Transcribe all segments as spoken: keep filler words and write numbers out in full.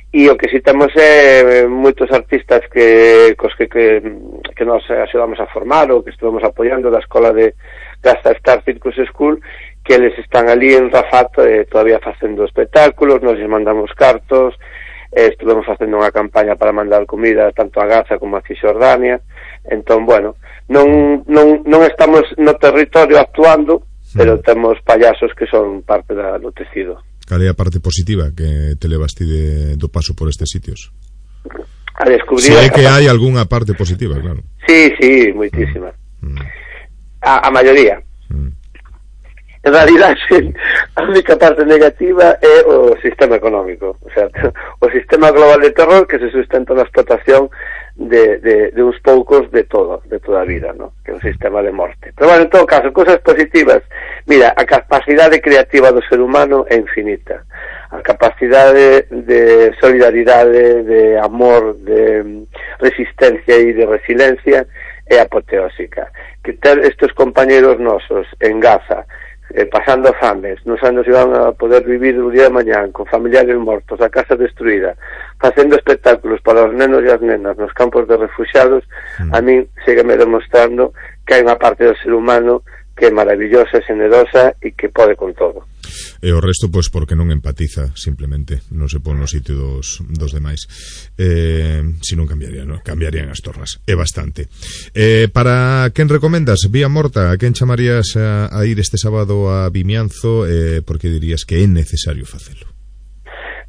e o que si temos é moitos artistas que cos que, que, que nos axudamos a formar ou que estuvemos apoiando da escola de Gasta Star Circus School, que eles están ali en Rafato eh, todavía facendo espectáculos, nos mandamos cartos, eh, estuvemos facendo unha campaña para mandar comida tanto a Gaza como a Cisjordania. Entón, bueno, non, non, non estamos no territorio actuando, pero temos payasos que son parte da, do tecido. Cal é a parte positiva que te levaste de, do paso por estes sitios? A descubrir... Se é que hai algunha parte positiva, claro. Sí, sí, moitísima. Mm. A, a maioría. Mm. En realidad, a única parte negativa é o sistema económico. O sea, o sistema global de terror que se sustenta na explotación de, de, de uns poucos de todo, de toda a vida, ¿no? Que é un sistema de morte. Pero bueno, en todo caso, cosas positivas. Mira, a capacidade creativa do ser humano é infinita. A capacidade de solidaridade, de amor, de resistencia e de resiliencia é apoteósica. Que ter estes compañeros nosos en Gaza, eh, pasando fames, non sabendo se van a poder vivir o día de mañán, con familiares mortos, a casa destruída, facendo espectáculos para os nenos e as nenas nos campos de refugiados, mm. a min sígueme demostrando que hai unha parte do ser humano que é maravillosa, generosa e que pode con todo. E o resto, pois, porque non empatiza, simplemente, non se pon no sitio dos, dos demais. Eh, si non cambiaría, non? Cambiarían as tornas, é bastante. Eh, para quen recomendas, Vía Morta, a quen chamarías a, a ir este sábado a Vimianzo, eh, porque dirías que é necesario facelo?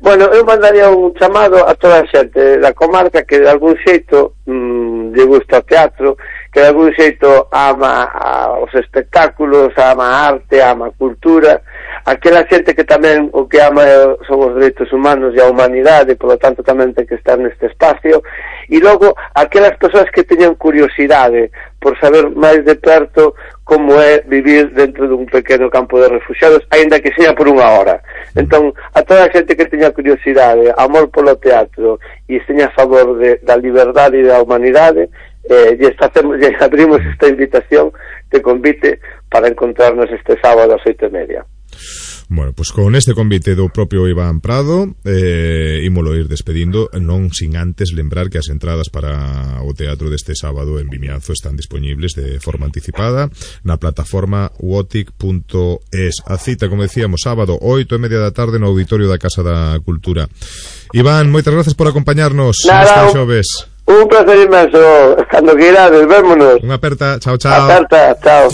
Bueno, eu mandaría un chamado a toda a xente da comarca que de algún xeito mmm, lle gusta o teatro, que de algún xeito ama a, os espectáculos, ama a arte, ama a cultura, aquela xente que tamén o que ama son os dereitos humanos e a humanidade, polo tanto tamén ten que estar neste espacio, e logo aquelas persoas que teñan curiosidade por saber máis de perto como é vivir dentro dun pequeno campo de refugiados, aínda que sexa por unha hora. Entón, a toda a xente que teña curiosidade, amor polo teatro e esteña a favor de, da liberdade e da humanidade, eh, e facemos, e abrimos esta invitación de convite para encontrarnos este sábado ás oito e media. Bueno, pois pues con este convite do propio Iván Prado eh, ímolo ir despedindo, non sin antes lembrar que as entradas para o teatro deste sábado en Vimianzo están disponibles de forma anticipada na plataforma wotic punto es. A cita, como decíamos, sábado oito e media da tarde no Auditorio da Casa da Cultura. Iván, moitas gracias por acompañarnos neste xoves. Un placer inmenso, cando queirades, vémonos. Unha aperta, chao, chao. Aperta, chao.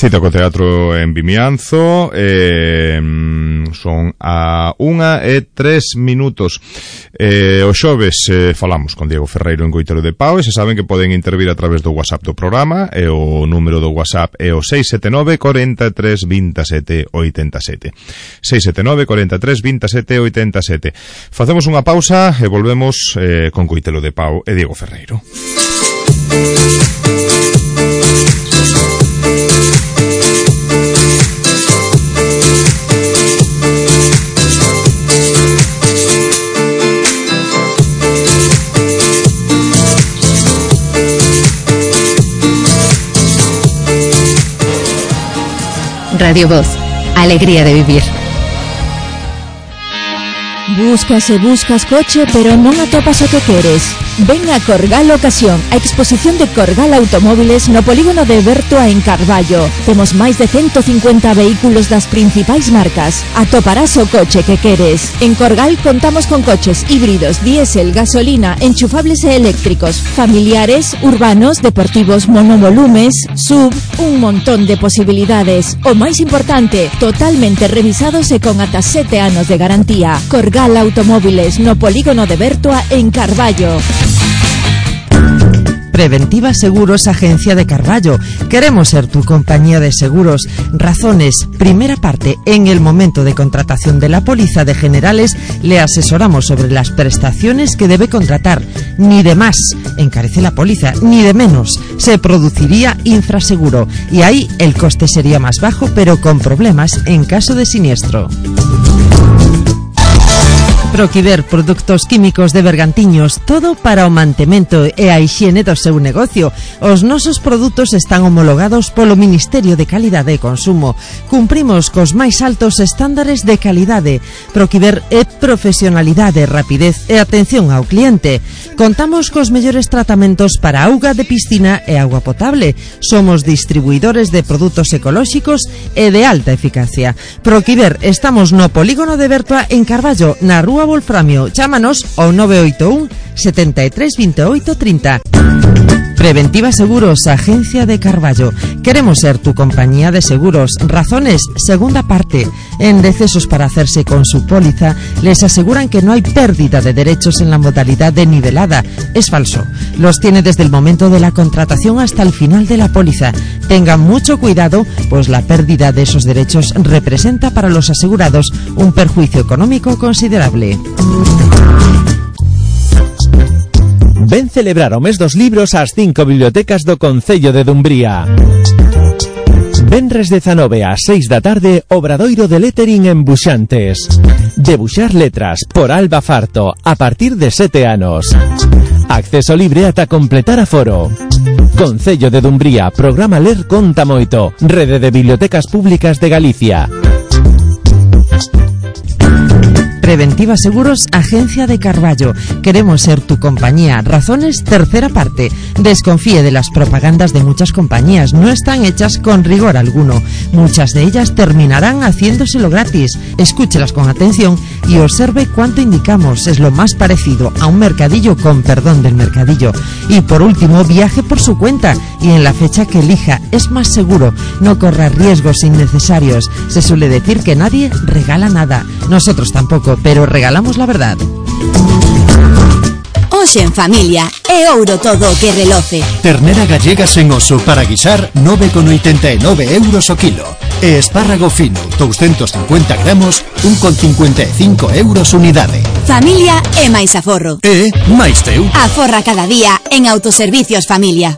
Cita co teatro en Vimianzo, eh, son a unha e tres minutos. Eh, o xoves eh, falamos con Diego Ferreiro en Coitelo de Pau, e se saben que poden intervir a través do WhatsApp do programa, e o número do WhatsApp é o seis sete nove, cuatro tres, dos sete, oito sete. seis sete nove, cuatro tres, dos sete, oito sete. Facemos unha pausa e volvemos eh, con Coitelo de Pau e Diego Ferreiro. Radio Voz, alegría de vivir. Buscas e buscas coche, pero non atopas o que queres. Ven a Corgal Ocasión, a exposición de Corgal Automóviles no polígono de Bertoa en Carballo. Temos máis de ciento cincuenta vehículos das principais marcas. Atoparás o coche que queres. En Corgal contamos con coches híbridos, diésel, gasolina, enchufables e eléctricos, familiares, urbanos, deportivos, monovolumes, sub, un montón de posibilidades. O máis importante, totalmente revisados e con ata sete anos de garantía. Corgal Automóviles no polígono de Bertoa en Carballo. Preventiva Seguros, agencia de Carballo. Queremos ser tu compañía de seguros. Razones. Primera parte. En el momento de contratación de la póliza de generales, le asesoramos sobre las prestaciones que debe contratar. Ni de más encarece la póliza, ni de menos. Se produciría infraseguro. Y ahí el coste sería más bajo, pero con problemas en caso de siniestro. Proquiver, produtos químicos de Bergantiños, todo para o mantemento e a hixiene do seu negocio. Os nosos produtos están homologados polo Ministerio de Calidade e Consumo. Cumprimos cos máis altos estándares de calidade. Proquiver é profesionalidade, rapidez e atención ao cliente. Contamos cos mellores tratamentos para auga de piscina e agua potable. Somos distribuidores de produtos ecolóxicos e de alta eficacia. Proquiver, estamos no polígono de Bertua en Carballo, na Rúa Wolframio. Chámanos ao nove oito un, setenta e tres, veintiocho, treinta. Preventiva Seguros, Agencia de Carballo. Queremos ser tu compañía de seguros. Razones, segunda parte. En decesos para hacerse con su póliza, les aseguran que no hay pérdida de derechos en la modalidad de nivelada. Es falso. Los tiene desde el momento de la contratación hasta el final de la póliza. Tengan mucho cuidado, pues la pérdida de esos derechos representa para los asegurados un perjuicio económico considerable. Ven celebrar o mes dos libros ás cinco bibliotecas do Concello de Dumbría. Venres dezanove ás seis da tarde, obradoiro de lettering en Buxantes. Debuxar letras por Alba Farto a partir de sete anos. Acceso libre ata completar aforo. Concello de Dumbría, programa Ler Conta Moito, Rede de Bibliotecas Públicas de Galicia. Preventiva Seguros, Agencia de Carballo. Queremos ser tu compañía. Razones, tercera parte. Desconfíe de las propagandas de muchas compañías. No están hechas con rigor alguno. Muchas de ellas terminarán haciéndoselo gratis. Escúchelas con atención y observe cuánto indicamos. Es lo más parecido a un mercadillo, con perdón del mercadillo. Y por último, viaje por su cuenta y en la fecha que elija. Es más seguro. No corra riesgos innecesarios. Se suele decir que nadie regala nada. Nosotros tampoco, pero regalamos la verdad. Hoxe en familia é ouro todo o que reloce. Ternera gallega sen oso para guisar nove con oitenta e nove euros o kilo. E espárrago fino doscientos cincuenta gramos un con cincuenta e cinco euros unidade. Familia é máis aforro. E máis teu. Aforra cada día en Autoservicios Familia.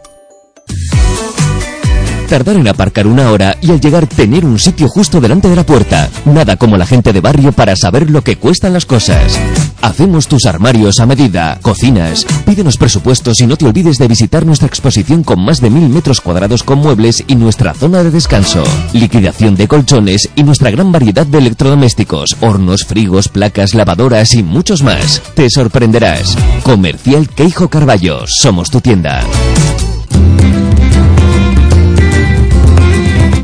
Tardar en aparcar una hora y al llegar tener un sitio justo delante de la puerta. Nada como la gente de barrio para saber lo que cuestan las cosas. Hacemos tus armarios a medida, cocinas. Pídenos presupuestos y no te olvides de visitar nuestra exposición con más de mil metros cuadrados con muebles y nuestra zona de descanso. Liquidación de colchones y nuestra gran variedad de electrodomésticos, hornos, frigos, placas, lavadoras y muchos más. Te sorprenderás. Comercial Queijo Carballo. Somos tu tienda.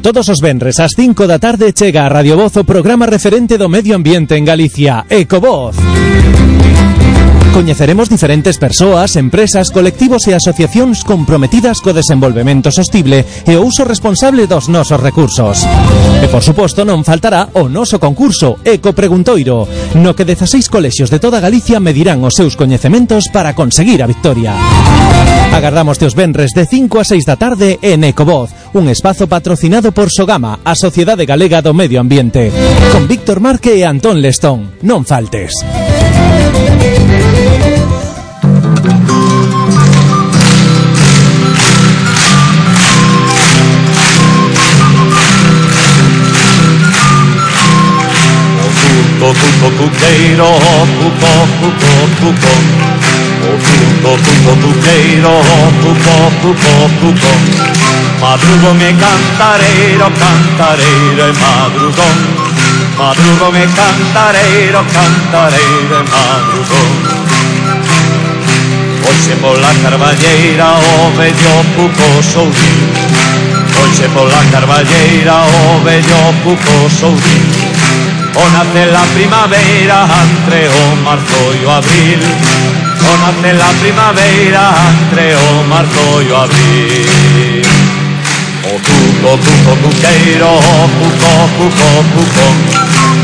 Todos os venres ás cinco da tarde chega a Radio Voz o programa referente do medio ambiente en Galicia, Ecovoz. Coñeceremos diferentes persoas, empresas, colectivos e asociacións comprometidas co desenvolvemento sostible e o uso responsable dos nosos recursos. E, por suposto, non faltará o noso concurso Eco Preguntoiro, no que dezaseis colexios de toda Galicia medirán os seus coñecementos para conseguir a victoria. Agardamos teus venres de cinco a seis da tarde en Ecovoz, un espazo patrocinado por Sogama, a Sociedade Galega do Medio Ambiente, con Víctor Marque e Antón Lestón. Non faltes. Cuco, cuco, cuqueiro, cuco, cuco, cuco. O cuco, cuco, cuqueiro, cuco, cuco, cuco. Madrugo me cantareiro, cantareiro e madrugón. Madrugo me cantareiro, cantareiro e madrugón. Hoxe pola carballeira o vello cuco soudín. Hoxe pola carballeira o vello cuco soudín. O nace la primavera entre o marzo e o abril. O nace la primavera entre o marzo e o abril. O cuco, cuco, cuqueiro, cuco, cuco, cuco.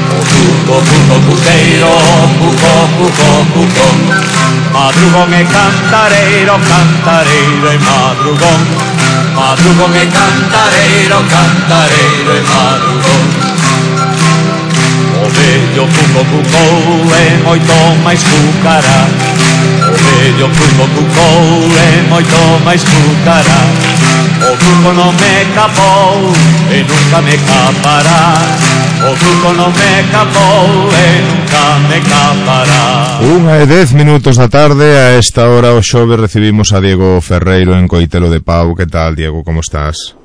O cuco, cuco, cuqueiro, cuco, cuco, cuco. Madrugón e cantareiro, cantareiro e madrugón. Madrugón e cantareiro, cantareiro e madrugón. O vello cuco cucou é moito máis cucará. O vello cuco cucou é moito máis cucará. O cuco non me capou e nunca me capará. O cuco non me capou e nunca me capará. Unha e dez minutos da tarde. A esta hora o xoves recibimos a Diego Ferreiro en Coitelo de Pau. Que tal, Diego, como estás?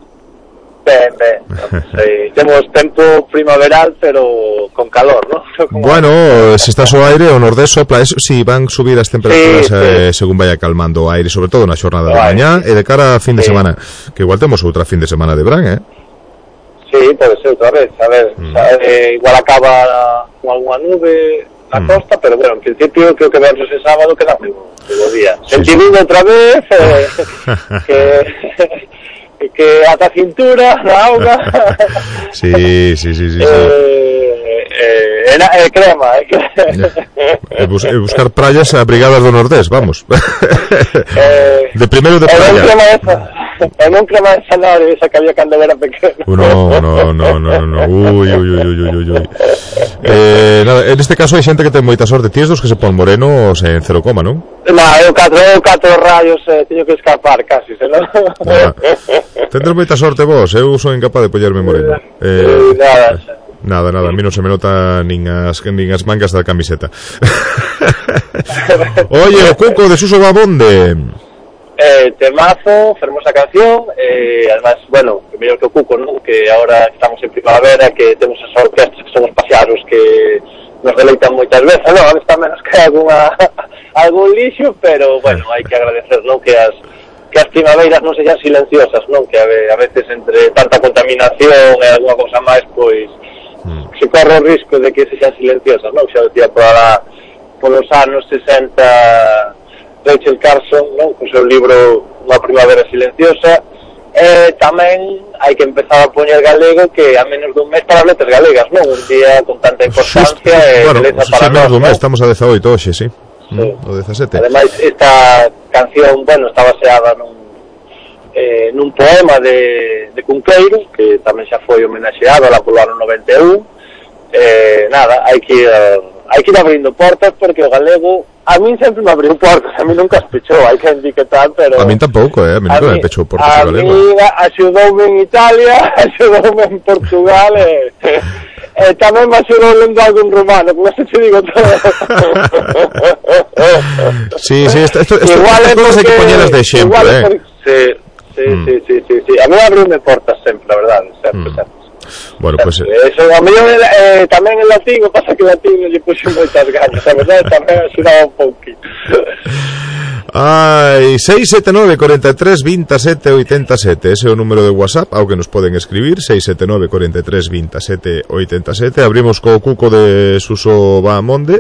Ben, ben, sí, temos tempo primaveral, pero con calor, ¿no? Como bueno, se está o aire, o nordés sopla, eso, si sí, van subir as temperaturas sí, eh, sí. según vaya calmando o aire, sobre todo na xornada de mañá e de cara a fin de sí. semana, que igual temos outra fin de semana de verán, eh? Sí, pode ser outra vez, a ver, mm. o sea, eh, igual acaba con algunha nube na mm. costa, pero bueno, en principio creo que vemos ese sábado que dá moi bo día. Sí, Sentindo sí. outra vez, eh, que... que ata a cintura na auga. Sí, sí, sí, sí, sí. Eh, eh, eh, eh, crema, eh, crema. E bus, buscar praias abrigadas do Nordés, vamos. Eh, de primeiro de praia. E non crema esa, e non crema esa nave, esa que había cando era pequeno. No, no, no, no, no. Uy, uy, uy, uy, uy, uy. Eh, nada, en este caso hai xente que ten moita sorte. Ti dos que se pon morenos en cero coma, non? No, eu catro, eu catro rayos eh, teño que escapar casi, senón. Ah, tendrás moita sorte vos, eu son incapaz de pollerme moreno. Eh, nada, nada, nada, a mí non se me nota nin as, nin as mangas da camiseta. Oye, o Cuco de Suso Babonde. Eh, temazo, fermosa canción, eh, además, bueno, mellor que o Cuco, ¿no? Que ahora estamos en primavera, que temos as orquestras que son os pasearos que nos deleitan moitas veces, no, a veces está menos que alguna, algún lixo, pero bueno, hai que agradecer, ¿no? Que as que as primaveiras non sexan silenciosas, non? Que a, a veces entre tanta contaminación e alguna cosa máis, pois mm. se corre o risco de que sexan silenciosas, non? Xa decía por la, polos anos sesenta Rachel Carson, non? Co seu libro Unha primavera silenciosa. E tamén hai que empezar a poñer galego, que a menos dun mes para as letras galegas, non? Un día con tanta importancia e bueno, beleza para nós, non? Mes, estamos a dezaoito hoxe, sí. Sí. O dezasete. Ademais, esta canción, bueno, está baseada nun, eh, nun poema de, de Cunqueiro, que tamén xa foi homenaxeado lá polo ano noventa e un. Eh, nada, hai que ir, hai que ir abrindo portas, porque o galego a min sempre me abriu portas, a min nunca as pechou, hai que etiquetar, pero... A min tampouco, eh, a min nunca me pechou portas o galego. A min axudoume en Italia, axudoume en Portugal, e... Eh, Eh, tamén me axudou lendo algún romano, con eso te digo todo. Sí, sí, esto, esto, esto, igual estas cosas hai que poñelas de exemplo, eh. Por... Sí, sí, mm. sí, sí, sí, sí. A mí abriume portas sempre, la verdad, sempre, mm. sempre. Bueno, sempre. pues... Eso, a mí eh, tamén en latín, o pasa que en latín lle puxo moitas ganas, a verdade, tamén axudaba un pouquinho. Ai, seis sete nove, cuarenta e tres, veintisiete, ochenta e sete. Ese é o número de WhatsApp ao que nos poden escribir, seis sete nove, cuarenta e tres, veintisiete, ochenta e sete. Abrimos co Cuco de Suso Bahamonde.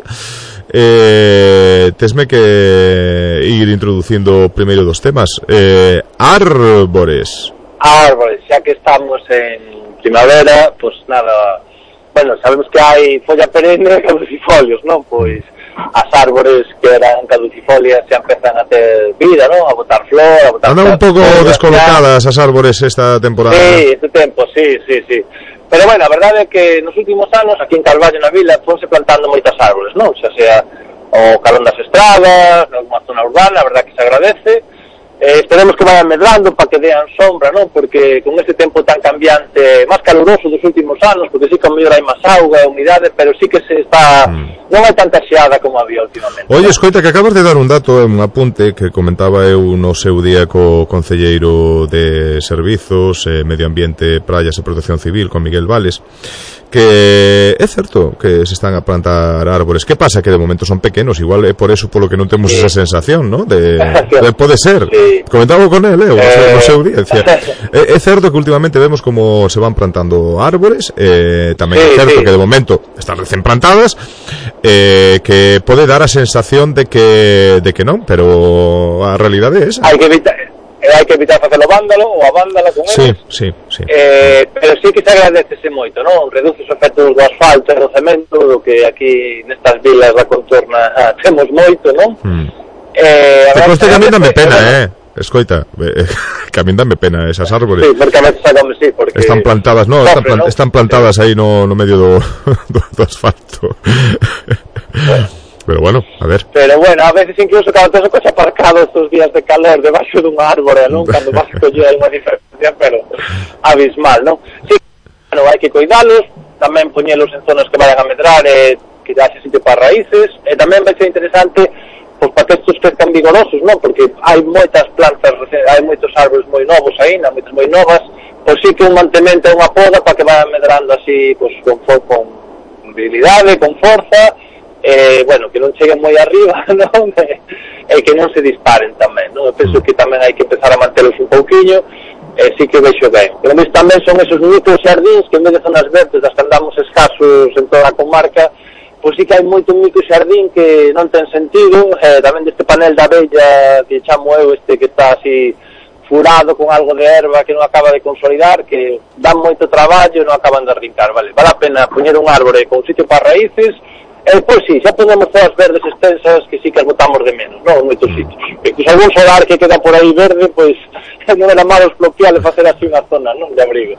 Eh, tesme que ir introducindo o primeiro dos temas. Eh, árbores. Árbores, xa que estamos en primavera, pues nada, bueno, sabemos que hai folla perenne e caducifolios, non? Pois as árbores que eran caducifolias xa empezan a ter vida, ¿no? A botar flor, a botar... Andan un pouco descolocadas as árbores esta temporada. Sí, este tempo, sí, sí, sí. Pero bueno, a verdade é que nos últimos anos aquí en Carballo na vila fonse plantando moitas árbores, non? Xa sea o calón das estradas, nalgúna zona urbana, a verdade que se agradece. Eh, esperemos que vayan medrando para que dean sombra, non? Porque con este tempo tan cambiante, máis caluroso dos últimos anos, porque sí que a mellor hai máis auga e humidade, pero sí que se está... Mm. Non hai tanta xeada como había últimamente. Oye, escoita, que acabas de dar un dato, un apunte que comentaba eu no seu día co concelleiro de Servizos, eh, Medio Ambiente, Praias e Protección Civil, con Miguel Vales, que é certo que se están a plantar árbores. Que pasa? Que de momento son pequenos, igual é por eso polo que non temos sí. esa sensación, ¿no? De, de pode ser. Sí. Comentaba con él, eh, eh... no seu día, decía, é, é certo que últimamente vemos como se van plantando árbores, eh, tamén sí, é certo sí. que de momento están recén plantadas, eh, que pode dar a sensación de que de que non, pero a realidade é esa. Hai que evitar hai que evitar facelo vándalo ou a vándala con sí, eles. Sí, sí, eh, pero sí que se agradecese moito, non? Reduce os efectos do asfalto e do cemento, do que aquí nestas vilas da contorna ah, temos moito, non? Mm. Eh, Te conste que a mí dame pena, eh? Escoita, eh, que a mí dame pena esas árbores. Sí, porque a veces agame, sí, porque... Están plantadas, no, están, plan, ¿no? están plantadas aí no, no medio do, do, do asfalto. Bueno. Pero bueno, a ver. Pero bueno, a veces incluso cando tes o coche aparcado estos días de calor debaixo dun árbore, non? Cando vas a coller unha diferencia, pero abismal, non? Sí, bueno, hai que cuidalos, tamén poñelos en zonas que vayan a medrar e que que dase sitio para raíces, e tamén vai ser interesante pois para que estos crezcan vigorosos, non? Porque hai moitas plantas, hai moitos árbores moi novos aínda, moitas moi novas, pois sí que un mantemento e unha poda para que vayan medrando así, pois con, con virilidade, con forza, eh, bueno, que non cheguen moi arriba, non? E que non se disparen tamén, non? Eu penso que tamén hai que empezar a mantelos un pouquiño, e sí que vexo ben. Pero mes tamén son esos micro xardíns que en vez de zonas verdes das que andamos escasos en toda a comarca, pois sí que hai moito micro xardín que non ten sentido, eh, tamén deste panel da abella que chamo eu, este que está así furado con algo de erva que non acaba de consolidar, que dan moito traballo e non acaban de arrincar, vale? Vale a pena poñer un árbore con sitio para raíces, e pois sí, xa ponemos todas verdes extensas que sí que as botamos de menos, non? En moitos sitios. Incluso algún solar que queda por aí verde, pois non era malo expropiar e facer así unha zona, non? De abrigo.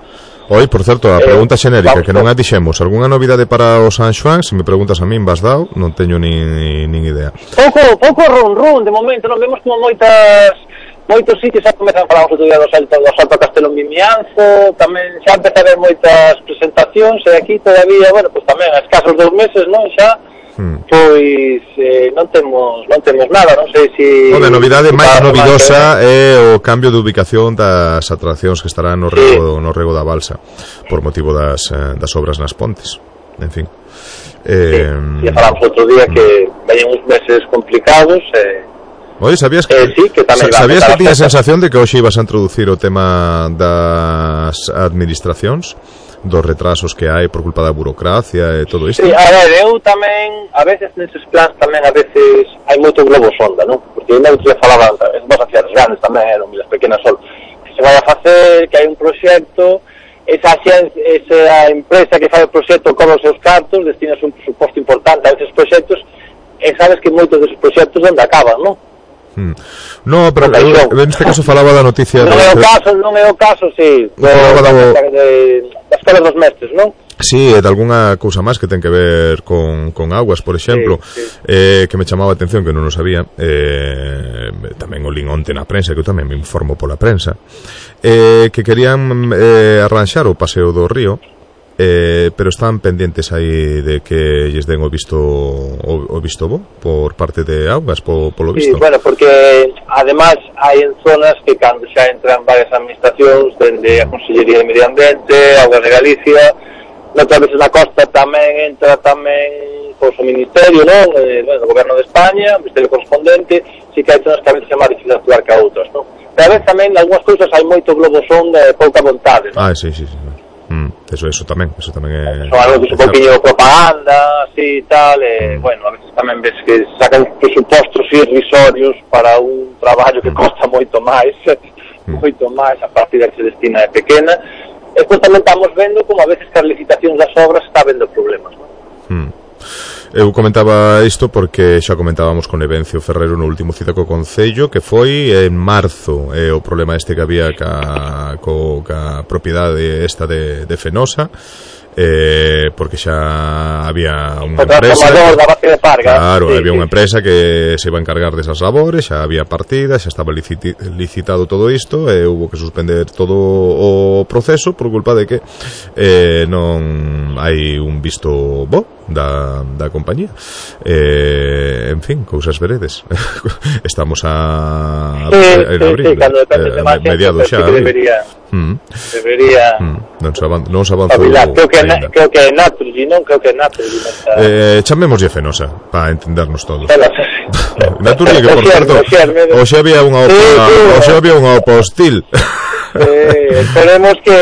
Oi, por certo, a pregunta eh, xenérica que non a dixemos, algunha novidade para o San Xoán? Se me preguntas a min, vas dado, non teño nin, nin idea. Pouco, pouco run run, de momento, non vemos como moitas moitos sitios xa comezan a falar outro día do Salto, do Salto a Castelo en Vimianzo, tamén xa empeza a haber moitas presentacións, e aquí todavía, bueno, pois tamén a escasos dos meses, non, xa, hmm. pois eh, non temos non temos nada, non sei se... Bueno, a novidade máis novidosa é o cambio de ubicación das atraccións que estarán no rego, sí. no rego da balsa, por motivo das, das obras nas pontes, en fin. Eh, sí, xa falamos outro día que veñen uns meses complicados, e... Eh, Oye, sabías que, eh, sí, que sabías que tiña a sensación de que hoxe ibas a introducir o tema das administracións, dos retrasos que hai por culpa da burocracia e todo isto? Sí, a ver, eu tamén, a veces neses plans tamén a veces hai moito globo sonda, non? Porque eu non se falaba, es vas hacia as grandes tamén, eran as pequenas sol, que se vai a facer, que hai un proxecto, esa, esa empresa que fai o proxecto cobra os seus cartos, destinas un presuposto importante a esos proxectos, e sabes que moitos deses proxectos onde acaban, non? Hmm. No, pero eu, en este caso falaba da noticia non de... é o caso, non é o caso, si sí, das colas dos mestres, non? Sí, e de algunha cousa máis que ten que ver con, con aguas, por exemplo, sí, sí. Eh, que me chamaba a atención, que non o sabía, eh, tamén o linonte na prensa, que eu tamén me informo pola prensa, eh, que querían eh, arranxar o paseo do río, Eh, pero están pendientes aí de que lles den o visto o, o visto bo por parte de Augas, po, polo visto. Sí, bueno, porque además hai en zonas que cando xa entran varias administracións, dende a Consellería de Medio Ambiente, Augas de Galicia, outras veces na costa tamén entra tamén pois, o Ministerio, non? Eh, bueno, o Goberno de España, o Ministerio correspondente, si que hai zonas que a veces é máis difícil actuar que a outras, non? Pero a veces tamén, en algunhas cousas hai moito globo sonda e pouca vontade, non? Ah, sí, sí, sí. Mm, eso, eso tamén, eso tamén é... Son algo que é un poquinho propaganda, así e tal, e, mm. bueno, a veces tamén ves que sacan presupostos irrisorios para un traballo que mm. costa moito máis, mm. moito máis, a partida que se destina é pequena, e depois tamén estamos vendo como a veces que as licitacións das obras está vendo problemas, non? Mm. Eu comentaba isto porque xa comentábamos con Evencio Ferreiro no último cita co Concello, que foi en marzo, e o problema este que había ca, co, ca propiedade esta de, de Fenosa, eh, porque xa había unha empresa da base de Parga, claro, sí, había sí. unha empresa que se iba a encargar desas labores, xa había partida, xa estaba liciti, licitado todo isto, e hubo que suspender todo o proceso por culpa de que eh, non hai un visto bo da, da compañía, eh, en fin, cousas veredes. Estamos a, sí, a en sí, abril, sí, cando depende eh, de máis mediado xa que debería mm. debería mm. non se avanzou, non se avanzou creo que, na, creo que é Naturgy, non? Creo que é Naturgy nesta... eh, chamémoslle Fenosa para entendernos todos. Naturgy, que por certo hoxe había unha opa, hoxe había unha opa hostil. eh, esperemos que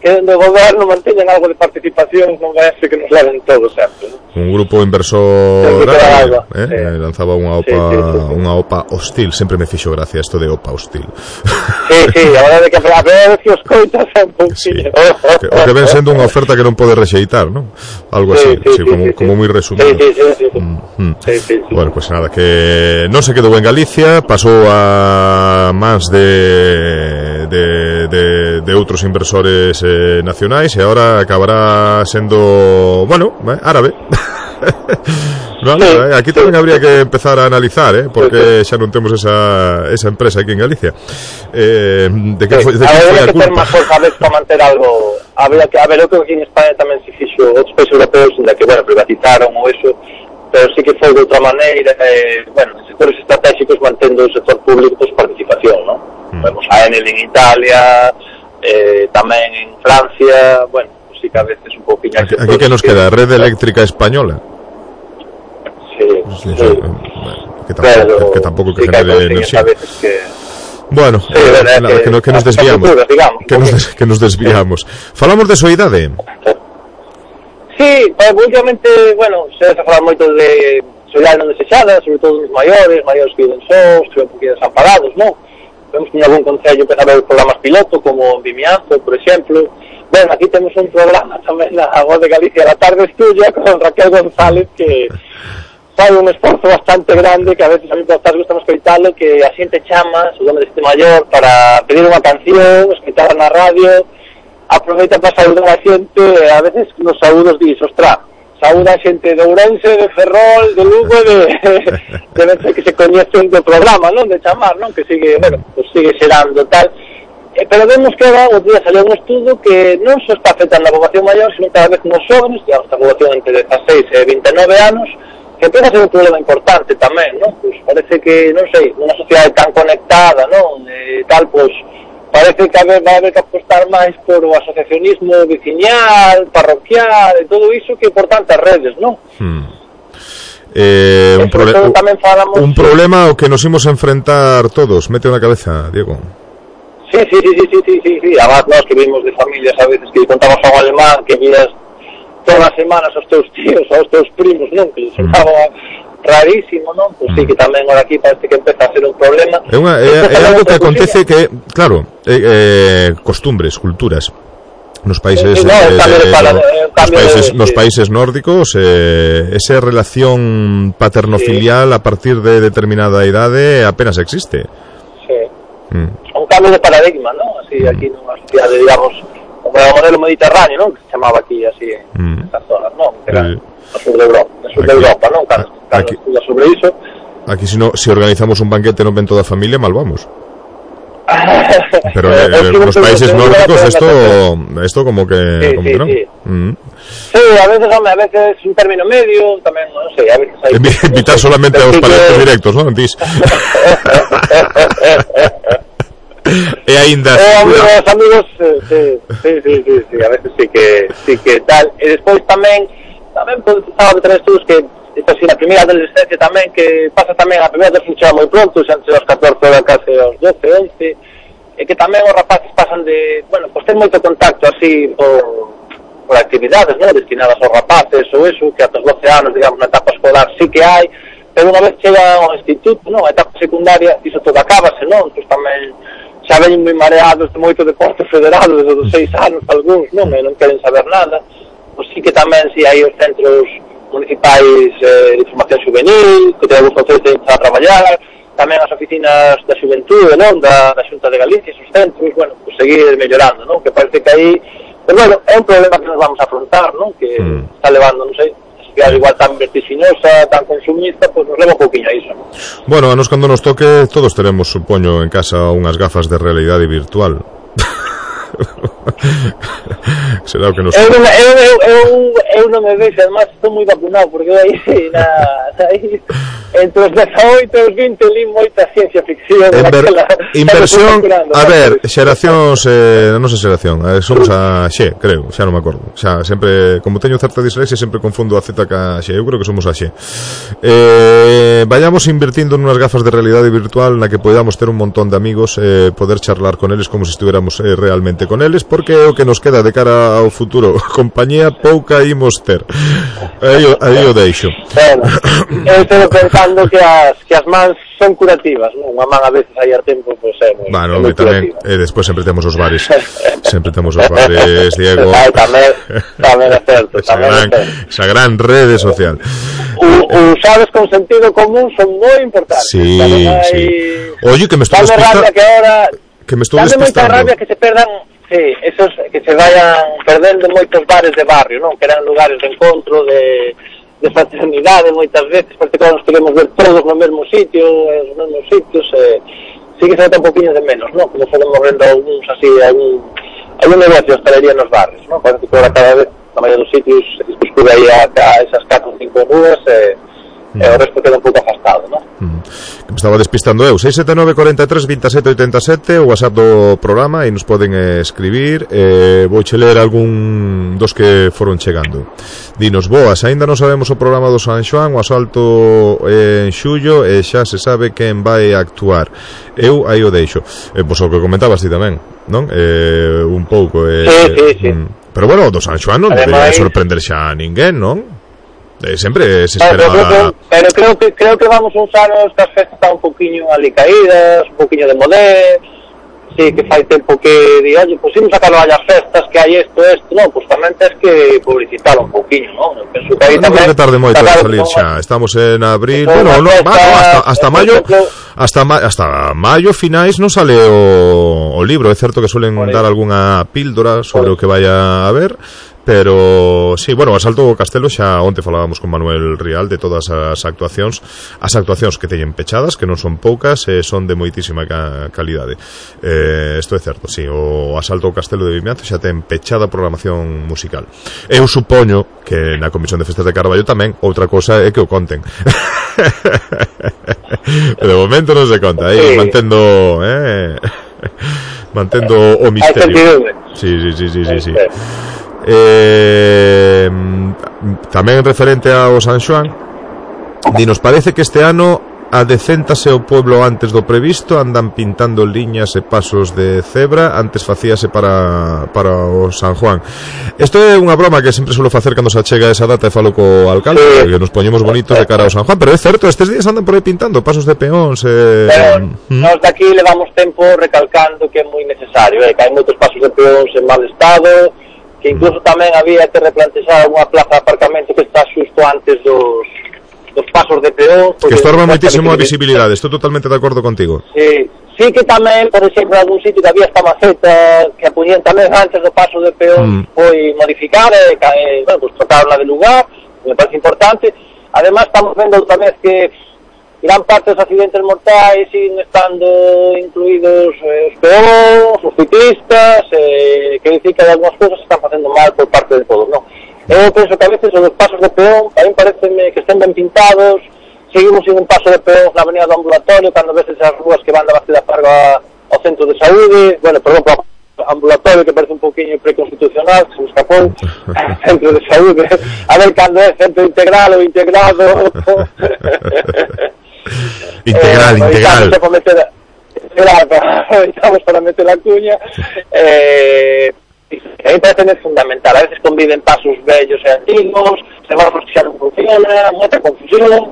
que do goberno manteñan algo de participación, non vai a ser que nos leven todo certo, non? Un grupo inversor árabe, eh, sí. lanzaba unha opa, sí, sí, sí. unha opa hostil, sempre me fixo gracia isto de opa hostil. Sí, sí, a verdade é que a ver que os coitas é un pouquinho. Sí. O que ven sendo unha oferta que non pode rexeitar, non? Algo así, sí, sí, sí, como, sí, como moi resumido. Sí, sí, sí, sí. Mm, mm. Sí, sí, sí. Bueno, pues nada, que non se quedou en Galicia, pasou a mans de de, de, de outros inversores eh, nacionais, e agora acabará sendo, bueno, eh, árabe. Vale, sí, aquí tamén habría que empezar a analizar, eh, porque xa non temos esa, esa empresa aquí en Galicia. Eh, de que sí, foi, de que habría que ter máis forza a vez para manter algo. Habría que, a ver, eu creo que aquí en España tamén se fixo outros países europeos onde que, bueno, privatizaron ou eso, pero sí que foi de outra maneira, eh, bueno, sectores estratégicos mantendo o sector público por participación, ¿no? Mm. Vemos a Enel en Italia, eh, tamén en Francia, bueno, pues sí que a veces un pouquinho... Aquí, aquí que nos queda, Red Eléctrica Española. Sí, sí, sí. Que tampoco, pero, que, tampoco que sí genere enerxía. Que... Bueno, sí, eh, verdad, la, que, que, no, que nos desviamos, futuras, digamos, que, nos des, que nos desviamos. Sí. Falamos de soidade. Sí, pues, últimamente, bueno, se ha falado moito de soidade non desexada, sobre todo os maiores, maiores que viven sós, que ven un poquinho desamparados, non? Vemos que en algún concello empezar a ver programas piloto, como Vimianzo, por exemplo. Bueno, aquí temos un programa tamén na Voz de Galicia, La Tarde es Tuya, con Raquel González, que fai un esforzo bastante grande, que a veces a mí por estar gustamos escoitalo, que a xente chama, o nome deste maior, para pedir unha canción, escoitala na radio, aproveita para saudar a xente, e a veces nos saúdos dis, ostra, saúda a xente de Ourense, de Ferrol, de Lugo, de, de veces que se coñecen do programa, non? De chamar, non? Que sigue, bueno, pues sigue xerando tal. Eh, pero vemos que ahora, o día salió un estudo que non só está afectando a poboación maior, sino cada vez nos jóvenes, digamos, a poboación entre dezaseis e vinte e nove anos, que empieza a ser un problema importante tamén, non? Pues parece que, non sei, nunha sociedade tan conectada, non? Eh, tal, pues, parece que vai haber que apostar máis por o asociacionismo veciñal, parroquial, e todo iso que por tantas redes, non? Hmm. Eh, un, proble falamos, un problema ao que nos imos a enfrentar todos. Mete na cabeza, Diego. Sí, sí, sí, sí, sí, sí, sí, sí. Además, nós que vimos de familias a veces que contamos a un alemán que vías todas as semanas aos teus tíos, aos teus primos, non? Que les sonaba rarísimo, non? Pois pues sí, que tamén ahora aquí parece que empeza a ser un problema. É, unha, é, é algo que acontece que, claro, é, é, costumbres, culturas. Nos países, sí, no, eh, de, para, no, nos, países de, nos sí. países nórdicos, eh, esa relación paterno-filial sí. a partir de determinada idade apenas existe. Sí. Mm. Un cambio de paradigma, ¿no? Así mm. aquí nunha sociedade, digamos, como o modelo mediterráneo, ¿no? Que se chamaba aquí así en mm. estas zonas, ¿no? Que era sí. no sur de Europa, no sur aquí, de Europa, ¿no? Cando, cando estudia sobre iso. Aquí si no, si organizamos un banquete non ven toda a familia, mal vamos. Pero eh, eh, en los países nórdicos esto esto como que, sí, como sí, que no. Sí. Mm. Sí, a veces, hombre, a veces un término medio, tamén, non sei, a veces hai... Invitar solamente aos parientes directos, non? Dis. E aínda... Eh, amigos, amigos, sí, sí, sí, sí, sí, a veces sí que, sí que tal. E despois tamén, tamén estaba a tener estudos que, esta así, na primeira adolescencia tamén, que pasa tamén, a primeira adolescencia moi pronto, xa entre os catorce horas case aos doce, once, e que tamén os rapaces pasan de, bueno, pues ten moito contacto así por, por actividades, non? Destinadas aos rapaces ou eso, que ata os doce anos, digamos, na etapa escolar sí que hai, pero unha vez chega ao instituto, non? A etapa secundaria, iso todo acábase, non? Pois tamén xa ven moi mareados de moito deporte federado desde os seis anos, algúns, non? E non queren saber nada. Pois sí que tamén si hai os centros municipais eh, de formación juvenil, que te gusta que te a traballar, tamén as oficinas da xuventude, non? Da, da Xunta de Galicia, esos centros, bueno, pues seguir mellorando, non? Que parece que aí, pero bueno, é un problema que nos vamos a afrontar, non? Que mm. está levando, non sei, sociedade igual tan vertiginosa, tan consumista, pois pues nos leva un pouquinho a iso, non? Bueno, a nos cando nos toque, todos teremos, supoño, en casa unhas gafas de realidade virtual. Será o que nos... Eu non, eu, eu, eu, eu non me vexo, además estou moi vacunado, porque aí, na, aí entre os dezaoito e os vinte li moita ciencia ficción. Inver, inversión, a ver, xeracións, eh, non sei xeración, eh, somos a Xe, creo, xa non me acordo. Xa, sempre, como teño certa dislexia, sempre confundo a Z ca Xe, eu creo que somos a Xe. Eh, vayamos invertindo nunas gafas de realidade virtual na que podamos ter un montón de amigos, eh, poder charlar con eles como se estuviéramos eh, realmente con eles, porque é o que nos queda de cara ao futuro. Compañía pouca imos ter. Aí, aí o deixo. Bueno, eu estou pensando que as, que as mans son curativas, non? Unha man a veces aí a tempo, pois é moi, bueno, é moi tamén, e despois sempre temos os bares. Sempre temos os bares, Diego. Ay, tamén, tamén é certo, esa tamén gran, é certo. Esa gran rede social. Usados con sentido común son moi importantes. Sí, hai... sí. Oye, que me estou despistando. Que ahora... Que me estou despistando. Dame moita rabia que se perdan... Sí, esos que se vayan perdendo moitos bares de barrio, non? Que eran lugares de encontro, de, de de fraternidade moitas veces, porque todos nos queremos ver todos no mesmo sitio, nos mesmos sitios, eh, sí que se nota un poquinho de menos, ¿no? Como fomos vendo algúns así, algún, algún negocio de hostelería nos barrios, ¿no? Parece que ahora cada vez, na maioría dos sitios, se escude aí a, a esas catro ou cinco nubes, eh, mm. e o resto queda un pouco afastado, ¿no? Mm. Que me estaba despistando eu. seis sete nove, cuatro tres, veintisiete oitenta e sete, o WhatsApp do programa, e nos poden eh, escribir. Eh, vouche ler algún dos que foron chegando. Dinos, boas, aínda non sabemos o programa do San Xoán, o asalto eh, en xullo, e xa se sabe quen vai actuar. Eu aí o deixo. Eh, pois o que comentabas ti tamén, non? Eh, un pouco. Eh, sí, sí, sí. Mm, pero bueno, do San Xoán non debe sorprender xa a ninguén, non? Eh, sempre se espera... Pero creo que, pero creo que, creo que vamos uns anos que as festas están un poquinho ali caídas, un poquinho de modé, sí, que fai tempo que di, oye, pues imos a sacar as festas, que hai isto, isto, non, pues tamén tens que publicitar un poquinho, non? Penso que aí non tamén... creo que tarde moito a salir xa, estamos en abril, bueno, no, festa, no, hasta, hasta maio, hasta, ma, hasta maio finais non sale o, o libro, é certo que suelen dar algunha píldora sobre o que vaya a haber, pero sí, bueno, o Asalto ao Castelo xa onte falábamos con Manuel Rial de todas as actuacións, as actuacións que teñen pechadas, que non son poucas, e son de moitísima ca calidade. Eh, isto é certo, sí, o Asalto ao Castelo de Vimianzo xa ten pechada programación musical. Eu supoño que na Comisión de Festas de Carballo tamén, outra cosa é que o conten. De momento non se conta, aí mantendo, eh, mantendo o misterio. Sí, sí, sí, sí, sí, sí. Eh, tamén referente ao San Xoán, dinos, parece que este ano adecéntase o pueblo antes do previsto, andan pintando liñas e pasos de cebra, antes facíase para, para o San Juan. Isto é unha broma que sempre suelo facer cando se achega esa data e falo co alcalde, sí, que nos poñemos bonitos de cara ao San Juan, pero é certo, estes días andan por aí pintando pasos de peóns eh... Pero mm. nós daqui levamos tempo recalcando que é moi necesario, eh, que hai moitos pasos de peóns en mal estado, que incluso tamén había que replantexar unha plaza de aparcamento que está xusto antes dos, dos pasos de peón. Que estorba moitísimo a visibilidade, estou totalmente de acordo contigo. Sí, sí que tamén, por exemplo, en algún sitio que había esta maceta que a poñían tamén antes do paso de peón, mm. foi modificar, e, eh, bueno, pues trocarla de lugar, me parece importante. Además, estamos vendo tamén que gran parte dos accidentes mortais siguen estando incluídos eh, os peóns, os ciclistas, eh, que dicir que algunhas cousas se están facendo mal por parte de todos, non? Eu penso que a veces os pasos de peón tamén pareceme que estén ben pintados, seguimos sin un paso de peón na avenida do ambulatorio, cando veces as rúas que van da Bastida Farga ao centro de saúde, bueno, perdón, por ambulatorio que parece un poquinho preconstitucional, que se me escapou, centro de saúde, a ver cando é centro integral ou integrado. Integral, eh, integral. Para meter, estamos para meter la cuña. Eh, a mí parece que é fundamental. A veces conviven pasos vellos e antigos, semáforos que xa non funciona, moita confusión,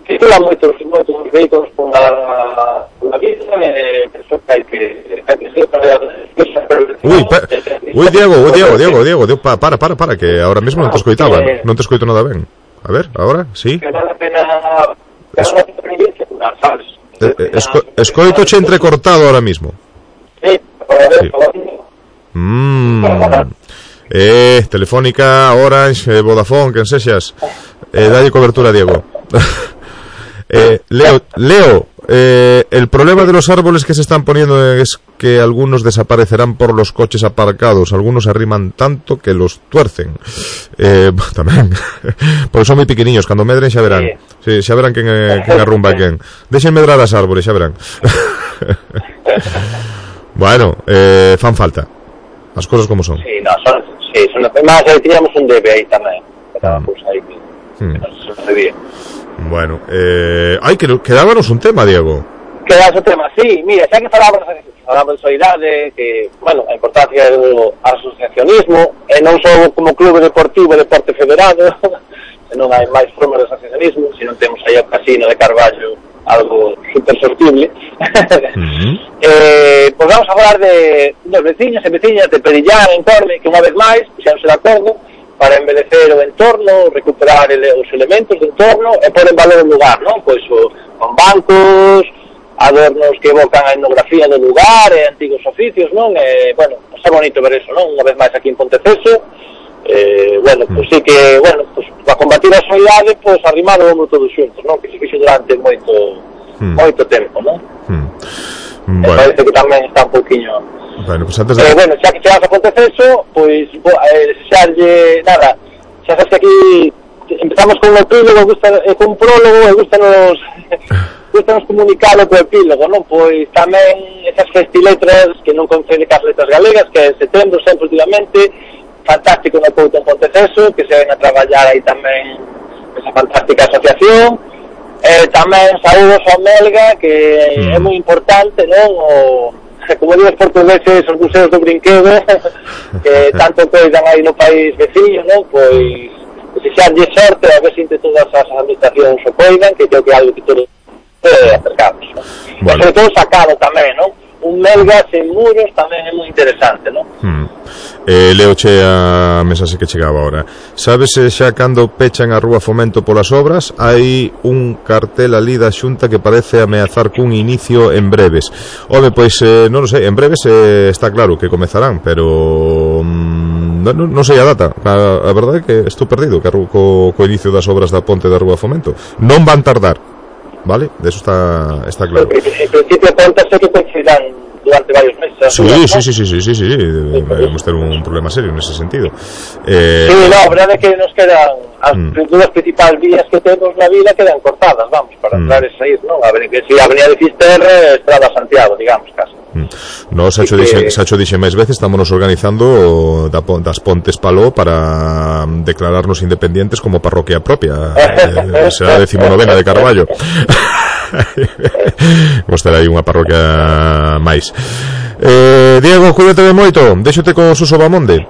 circulan moitos, moitos vehículos por la, por la vida, e eh, penso que hai que... Hai que ser para, Uy, pa, uy, Diego, uy, Diego, Diego, Diego, Diego, pa, para, para, para, que ahora mismo non te escoitaba, eh, non te escoito nada ben. A ver, ahora, sí. Que vale a pena... Es, eh, esco, escoito che entrecortado ahora mismo. Sí, sí. Mm. Eh, Telefónica, Orange, eh, Vodafone, quen sexas. Eh, dalle cobertura, Diego. eh, Leo, Leo eh, el problema de los árboles que se están poniendo es que algunos desaparecerán por los coches aparcados, algunos arriman tanto que los tuercen. Eh, tamén, porque son moi pequeniños, cando medren xa verán. Sí, xa verán quen, eh, quen arrumba quen. Deixen medrar as árboles, xa verán. Bueno, eh, fan falta. As cosas como son. Sí, no, son, sí, son máis, aí tiñamos un debe aí tamén. Quedábamos aí que, hmm. que non se debía. Bueno, eh, ai, que quedábanos un tema, Diego. Quedábanos un tema, sí, mira, xa que falamos falamos de solidariedade, que, bueno, a importancia do asociacionismo, e non só como clube deportivo e deporte federado, senón hai máis formas de asociacionismo, se non temos aí o casino de Carballo, algo super sortible. Uh-huh. eh, pois vamos a falar de dos veciños e veciñas de Perillán, en Corme, que unha vez máis puxeronse de acordo para embelecer o entorno, recuperar ele, os elementos do entorno e pôr en valor o lugar, non? Pois o, con bancos, adornos que evocan a etnografía do lugar e antigos oficios, non? E, bueno, está bonito ver eso, non? Unha vez máis aquí en Ponteceso, Eh, bueno, mm. pois sí que, bueno, pois, para combatir a soidade, pois arrimaron todos xuntos, non? Que se fixo durante moito, mm. moito tempo, non? Mm. Bueno. Me parece que tamén está un pouquiño... Bueno, pues antes de... Eh, bueno, xa que chegas a Ponteceso, pois, eh, xa lle, nada, xa sabes que aquí empezamos con un epílogo, gusta, eh, con un prólogo, e gustanos, gustanos comunicalo co epílogo, non? Pois tamén esas festiletras que non concede cas letras galegas, que é setembro, sempre últimamente, fantástico no Couto en Ponteceso, que se ven a traballar aí tamén esa fantástica asociación. Eh, tamén saúdos ao Melga, que mm. é moi importante, non? O, como digo os portugueses, os museos do brinquedo, que tanto coidan aí no país veciño, non? Pois, se xa lle sorte, a ver se entre todas as administracións o coidan, que creo que é algo que todos eh, acercamos, non? Bueno. E sobre todo sacado tamén, non? Un Melga sen muros tamén é moi interesante, non? Mm. Eh, leoche a mensaxe que chegaba ahora. Sabes se xa cando pechan a Rúa Fomento polas obras hai un cartel ali da Xunta que parece ameazar cun inicio en breves. Home, pois eh, non o sei, en breves eh, está claro que comezarán, pero mm, non, non sei a data. A, a verdade é que estou perdido que co, co inicio das obras da ponte da Rúa Fomento. Non van tardar, vale? De eso está, está claro. En principio contas que coincidirán durante varios meses. Sí, sí, sí, sí, sí, sí, sí, sí. Vamos ter un problema serio nese sentido. Eh... Sí, no, a verdade é que nos quedan as mm. dúas principais vías que temos na vila quedan cortadas, vamos, para entrar mm. e sair, non? A ver, que si a Avenida de Fisterre, Estrada Santiago, digamos, casi. Mm. No, Sacho, que... dixe, Sacho dixe máis veces, estámonos organizando da, das Pontes Paló para declararnos independientes como parroquia propia. eh, será a decimonovena de Carballo. Vamos ter aí unha parroquia máis. eh, Diego, cuídate de moito. Déxote con Suso Bamonde.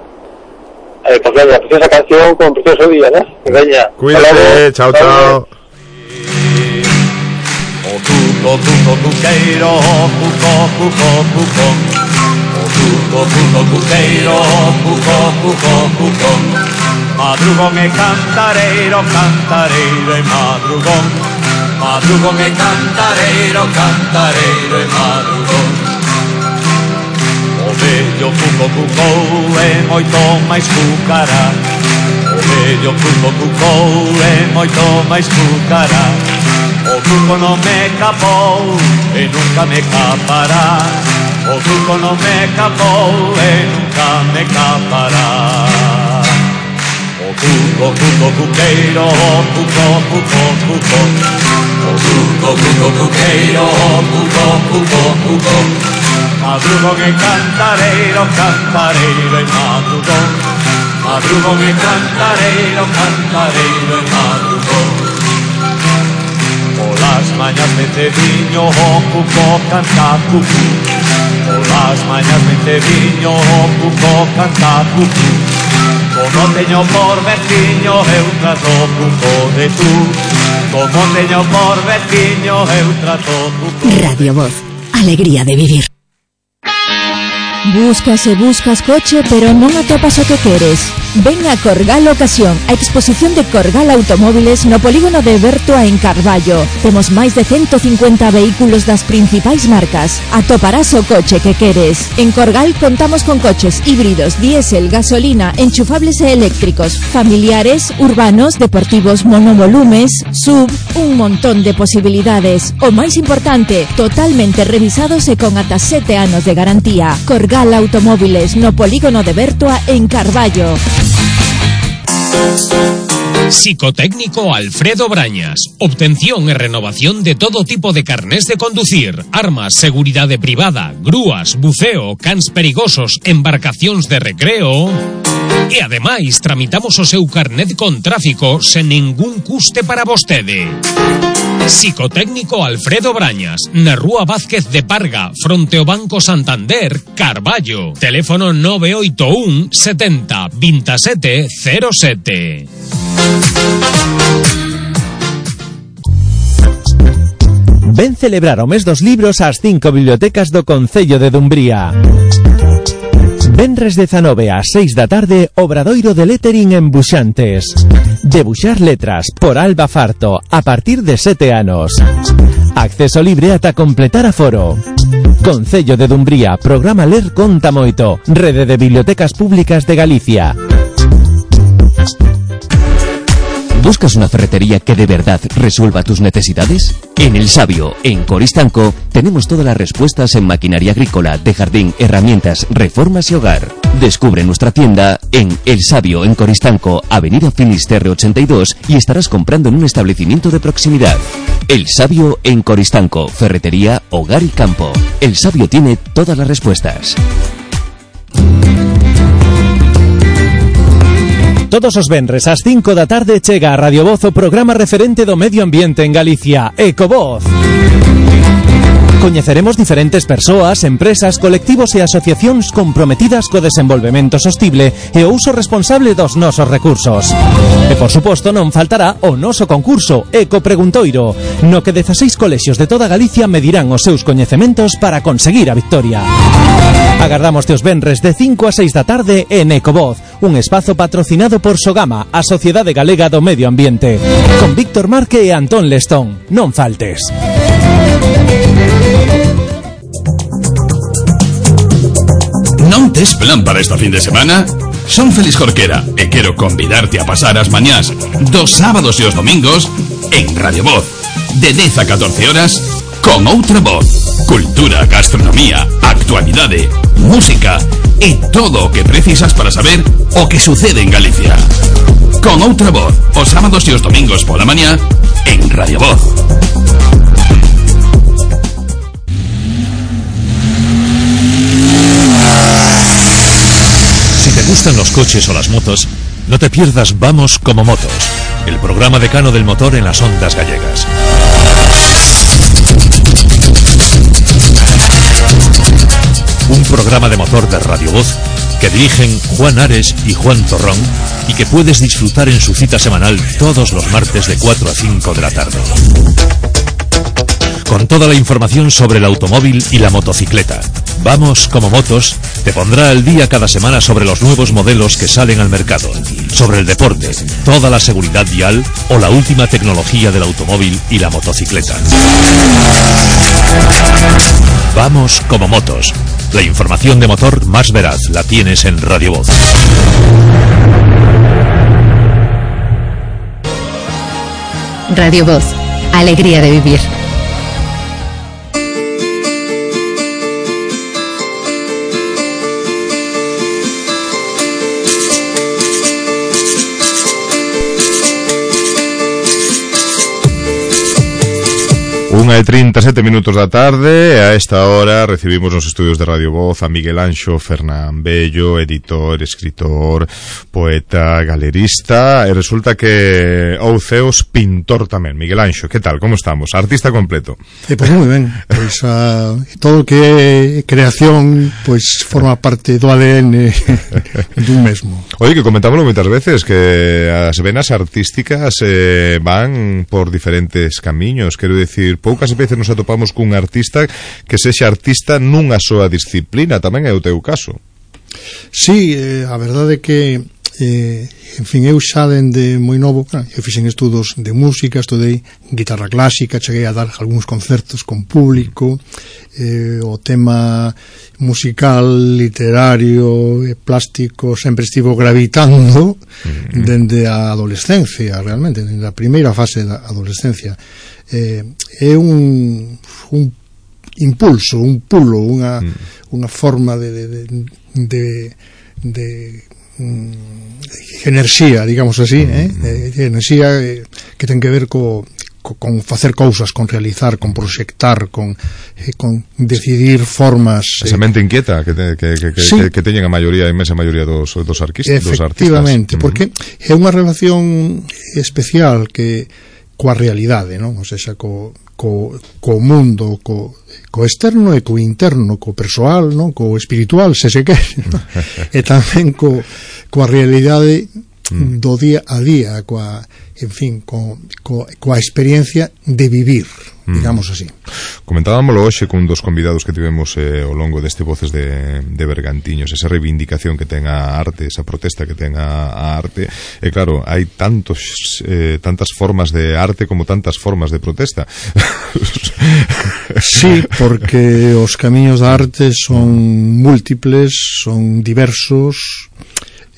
Eh, pues veña, preciosa canción con precioso día, ¿no? Veña, cuídate, chao, chao. O tuco, tuco, tuqueiro, cuco, cuco, cuco. O tuco, tuco, tuqueiro, cuco, cuco, cuco. Madrugón e cantareiro, cantareiro e madrugón. Madrugón e cantareiro, cantareiro e madrugón. O vello cuco cucou e moito máis cucará. O vello cuco cucou e moito máis cucará. O cuco non me capou e nunca me capará. O cuco non me capou e nunca me capará. O cuco, cuco, cuqueiro, cuco, cuco, cuco. O cuco, cuco, cuqueiro, cuco, cuco, cuco. Madrugón e cantareiro, cantareiro e madrugón. Madrugón e cantareiro, cantareiro e madrugón. Polas mañas metediño, o cuco canta cucu. Polas mañas metediño, o cuco canta cucu. Como teño por veciño, eu trato cuco de tú. Como teño por veciño, eu trato cuco. Radio Voz, alegría de vivir. Buscas e buscas coche, pero non atopas o que queres. Ven a Corgal Ocasión, a exposición de Corgal Automóviles no polígono de Bertoa en Carballo. Temos máis de ciento cincuenta vehículos das principais marcas. Atoparás o coche que queres. En Corgal contamos con coches híbridos, diésel, gasolina, enchufables e eléctricos, familiares, urbanos, deportivos, monovolumes, sub, un montón de posibilidades. O máis importante, totalmente revisados e con ata sete anos de garantía. Corgal Automóviles no polígono de Bertoa en Carballo. Psicotécnico Alfredo Brañas. Obtención e renovación de todo tipo de carnés de conducir, armas, seguridade privada, grúas, buceo, cans perigosos, embarcacións de recreo. E ademais tramitamos o seu carnet con tráfico sen ningún custe para vostede. Psicotécnico Alfredo Brañas, na Rúa Vázquez de Parga, fronte ao Banco Santander, Carballo. Teléfono nove oito un setenta veintisiete cero sete. Ven celebrar o mes dos libros ás cinco bibliotecas do Concello de Dumbría. Venres dezanove ás seis da tarde, obradoiro de lettering en Buxantes. Debuxar letras por Alba Farto a partir de sete anos. Acceso libre ata completar aforo. Concello de Dumbría, programa Ler Conta Moito, Rede de Bibliotecas Públicas de Galicia. ¿Buscas una ferretería que de verdad resuelva tus necesidades? En El Sabio, en Coristanco, tenemos todas las respuestas en maquinaria agrícola, de jardín, herramientas, reformas y hogar. Descubre nuestra tienda en El Sabio, en Coristanco, Avenida Finisterre ochenta y dos, y estarás comprando en un establecimiento de proximidad. El Sabio, en Coristanco, ferretería, hogar y campo. El Sabio tiene todas las respuestas. Todos os venres ás cinco da tarde chega a Radio Voz o programa referente do medio ambiente en Galicia, Ecovoz. Coñeceremos diferentes persoas, empresas, colectivos e asociacións comprometidas co desenvolvemento sostible e o uso responsable dos nosos recursos. E, por suposto, non faltará o noso concurso Eco Preguntoiro, no que dezaseis colexios de toda Galicia medirán os seus coñecementos para conseguir a victoria. Agardamos teos venres de cinco a seis da tarde en Ecovoz, un espazo patrocinado por Sogama, a Sociedade Galega do Medio Ambiente, con Víctor Marque e Antón Lestón. Non faltes. Non tes plan para esta fin de semana? Son Félix Jorquera e quero convidarte a pasar as mañás dos sábados e os domingos en Radio Voz, de dez a catorce horas, con outra voz. Cultura, gastronomía, actualidade, música e todo o que precisas para saber o que sucede en Galicia. Con outra voz, os sábados e os domingos pola mañá en Radio Voz. Si te gustan los coches o las motos, no te pierdas Vamos como Motos, el programa decano del motor en las ondas gallegas. Un programa de motor de Radio Voz que dirigen Juan Ares y Juan Torrón y que puedes disfrutar en su cita semanal todos los martes de cuatro a cinco de la tarde. Con toda la información sobre el automóvil y la motocicleta. Vamos como Motos te pondrá al día cada semana sobre los nuevos modelos que salen al mercado, sobre el deporte, toda la seguridad vial o la última tecnología del automóvil y la motocicleta. Vamos como Motos. La información de motor más veraz la tienes en Radio Voz. Radio Voz. Alegría de vivir. Unha e trinta e sete minutos da tarde, e a esta hora recibimos nos estudios de Radio Voz a Miguel Anxo Fernán Bello, editor, escritor, poeta, galerista, e resulta que ou ceos pintor tamén. Miguel Anxo, que tal, como estamos? Artista completo. Eh, pues moi ben, pois uh, todo o que é creación pois forma parte do A D N dun mesmo. Oye, que comentámoslo moitas veces, que as venas artísticas eh, van por diferentes camiños, quero dicir, poucas veces nos atopamos cun artista que sexa artista nunha soa disciplina, tamén é o teu caso. Sí, eh, a verdade é que eh, en fin, eu xa dende moi novo, claro, eu fixen estudos de música, estudei guitarra clásica, cheguei a dar algúns concertos con público, eh, o tema musical, literario e plástico sempre estivo gravitando uh-huh. dende a adolescencia, realmente, dende a primeira fase da adolescencia. Eh, é un, un impulso, un pulo, unha, mm. unha forma de de, de, de, de mm, enerxía, digamos así, mm. eh? de, de enerxía eh, que ten que ver co, co, con facer cousas, con realizar, con proxectar, con, eh, con decidir formas. Esa mente eh, inquieta que, te, que, que, que, sí. que, que teñen a maioría, a inmensa maioría dos, dos, arquistas, dos artistas. Efectivamente, porque mm. é unha relación especial que coa realidade, non? O sea, co, co, co mundo, co, co externo e co interno, co persoal, non? Co espiritual, se se quere, non? E tamén co, coa realidade do día a día, coa, en fin, co, co, coa experiencia de vivir, digamos así. Comentábamoslo hoxe cun dos convidados que tivemos eh, ao longo deste Voces de, de Bergantiños, esa reivindicación que ten a arte, esa protesta que ten a, a arte, e claro, hai tantos eh, tantas formas de arte como tantas formas de protesta. Sí, porque os camiños da arte son múltiples, son diversos,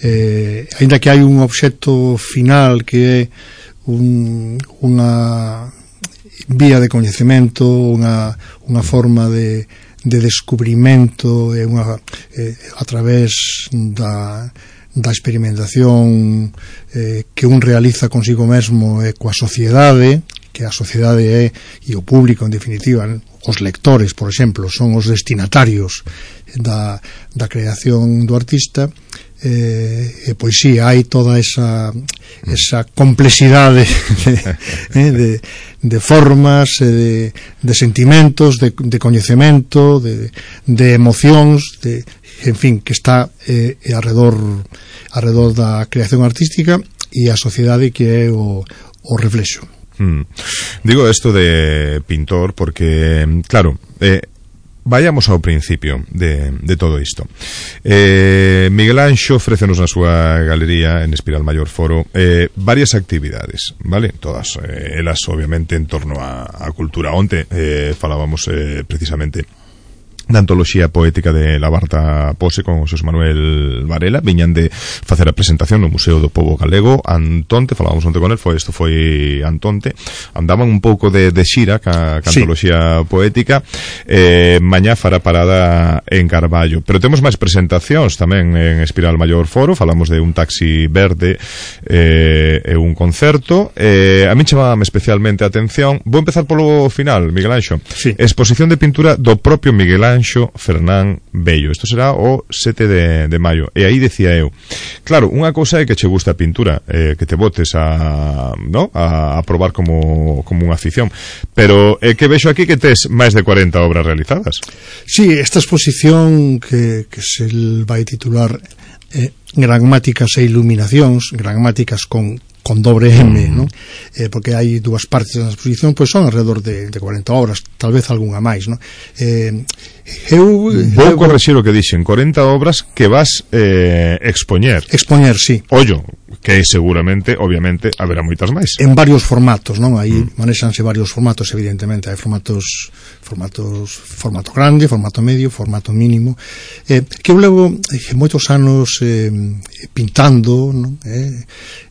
eh, aínda que hai un obxecto final que é un, unha vía de coñecemento, unha, unha forma de, de descubrimento e unha, eh, a través da, da experimentación eh, que un realiza consigo mesmo e coa sociedade, que a sociedade é, e o público en definitiva, os lectores, por exemplo, son os destinatarios da, da creación do artista. Eh, e pois si, sí, hai toda esa esa complexidade de, de, de formas, de, de sentimentos, de, de coñecemento, de, de emocións, de, en fin, que está eh, arredor, arredor da creación artística e a sociedade que é o, o reflexo. Mm. Digo esto de pintor porque, claro, eh, vayamos ao principio de, de todo isto. eh, Miguel Anxo ofrécenos na súa galería en Espiral Maior Foro eh, varias actividades, vale? Todas eh, elas obviamente en torno a, a cultura. Onte eh, falábamos eh, precisamente da antoloxía poética de La Barta Pose con Xosé Manuel Varela. Viñan de facer a presentación no Museo do Pobo Galego Antonte, falábamos onte con el, foi, isto foi Antonte. Andaban un pouco de, de xira ca, ca sí. antoloxía poética. eh, Mañá fará parada en Carballo, pero temos máis presentacións tamén en Espiral Maior Foro. Falamos de un taxi verde eh, e un concerto. eh, A mí chamaba especialmente a atención. Vou empezar polo final, Miguel Anxo. Sí. Exposición de pintura do propio Miguel Anxo Fernán Bello. Isto será o sete de, de maio. E aí decía eu, claro, unha cousa é que che gusta a pintura, eh, que te botes a, ¿no? a, a probar como, como unha afición, pero é que vexo aquí que tes máis de cuarenta obras realizadas. Sí, esta exposición que, que se vai titular eh, Grammáticas e Iluminacións, grammáticas con con dobre M, mm. ¿no? Eh, porque hai dúas partes da exposición, pois son alrededor de, de cuarenta obras, tal vez algunha máis, ¿no? Eh, eu vou correxir o que dixen, cuarenta obras que vas eh, expoñer. Expoñer, sí. Ollo, que seguramente, obviamente, haberá moitas máis. En varios formatos, non? Aí mm. manexanse varios formatos, evidentemente. Hai formatos, formatos, formato grande, formato medio, formato mínimo. Eh, que eu levo eh, moitos anos eh, pintando, non? Eh,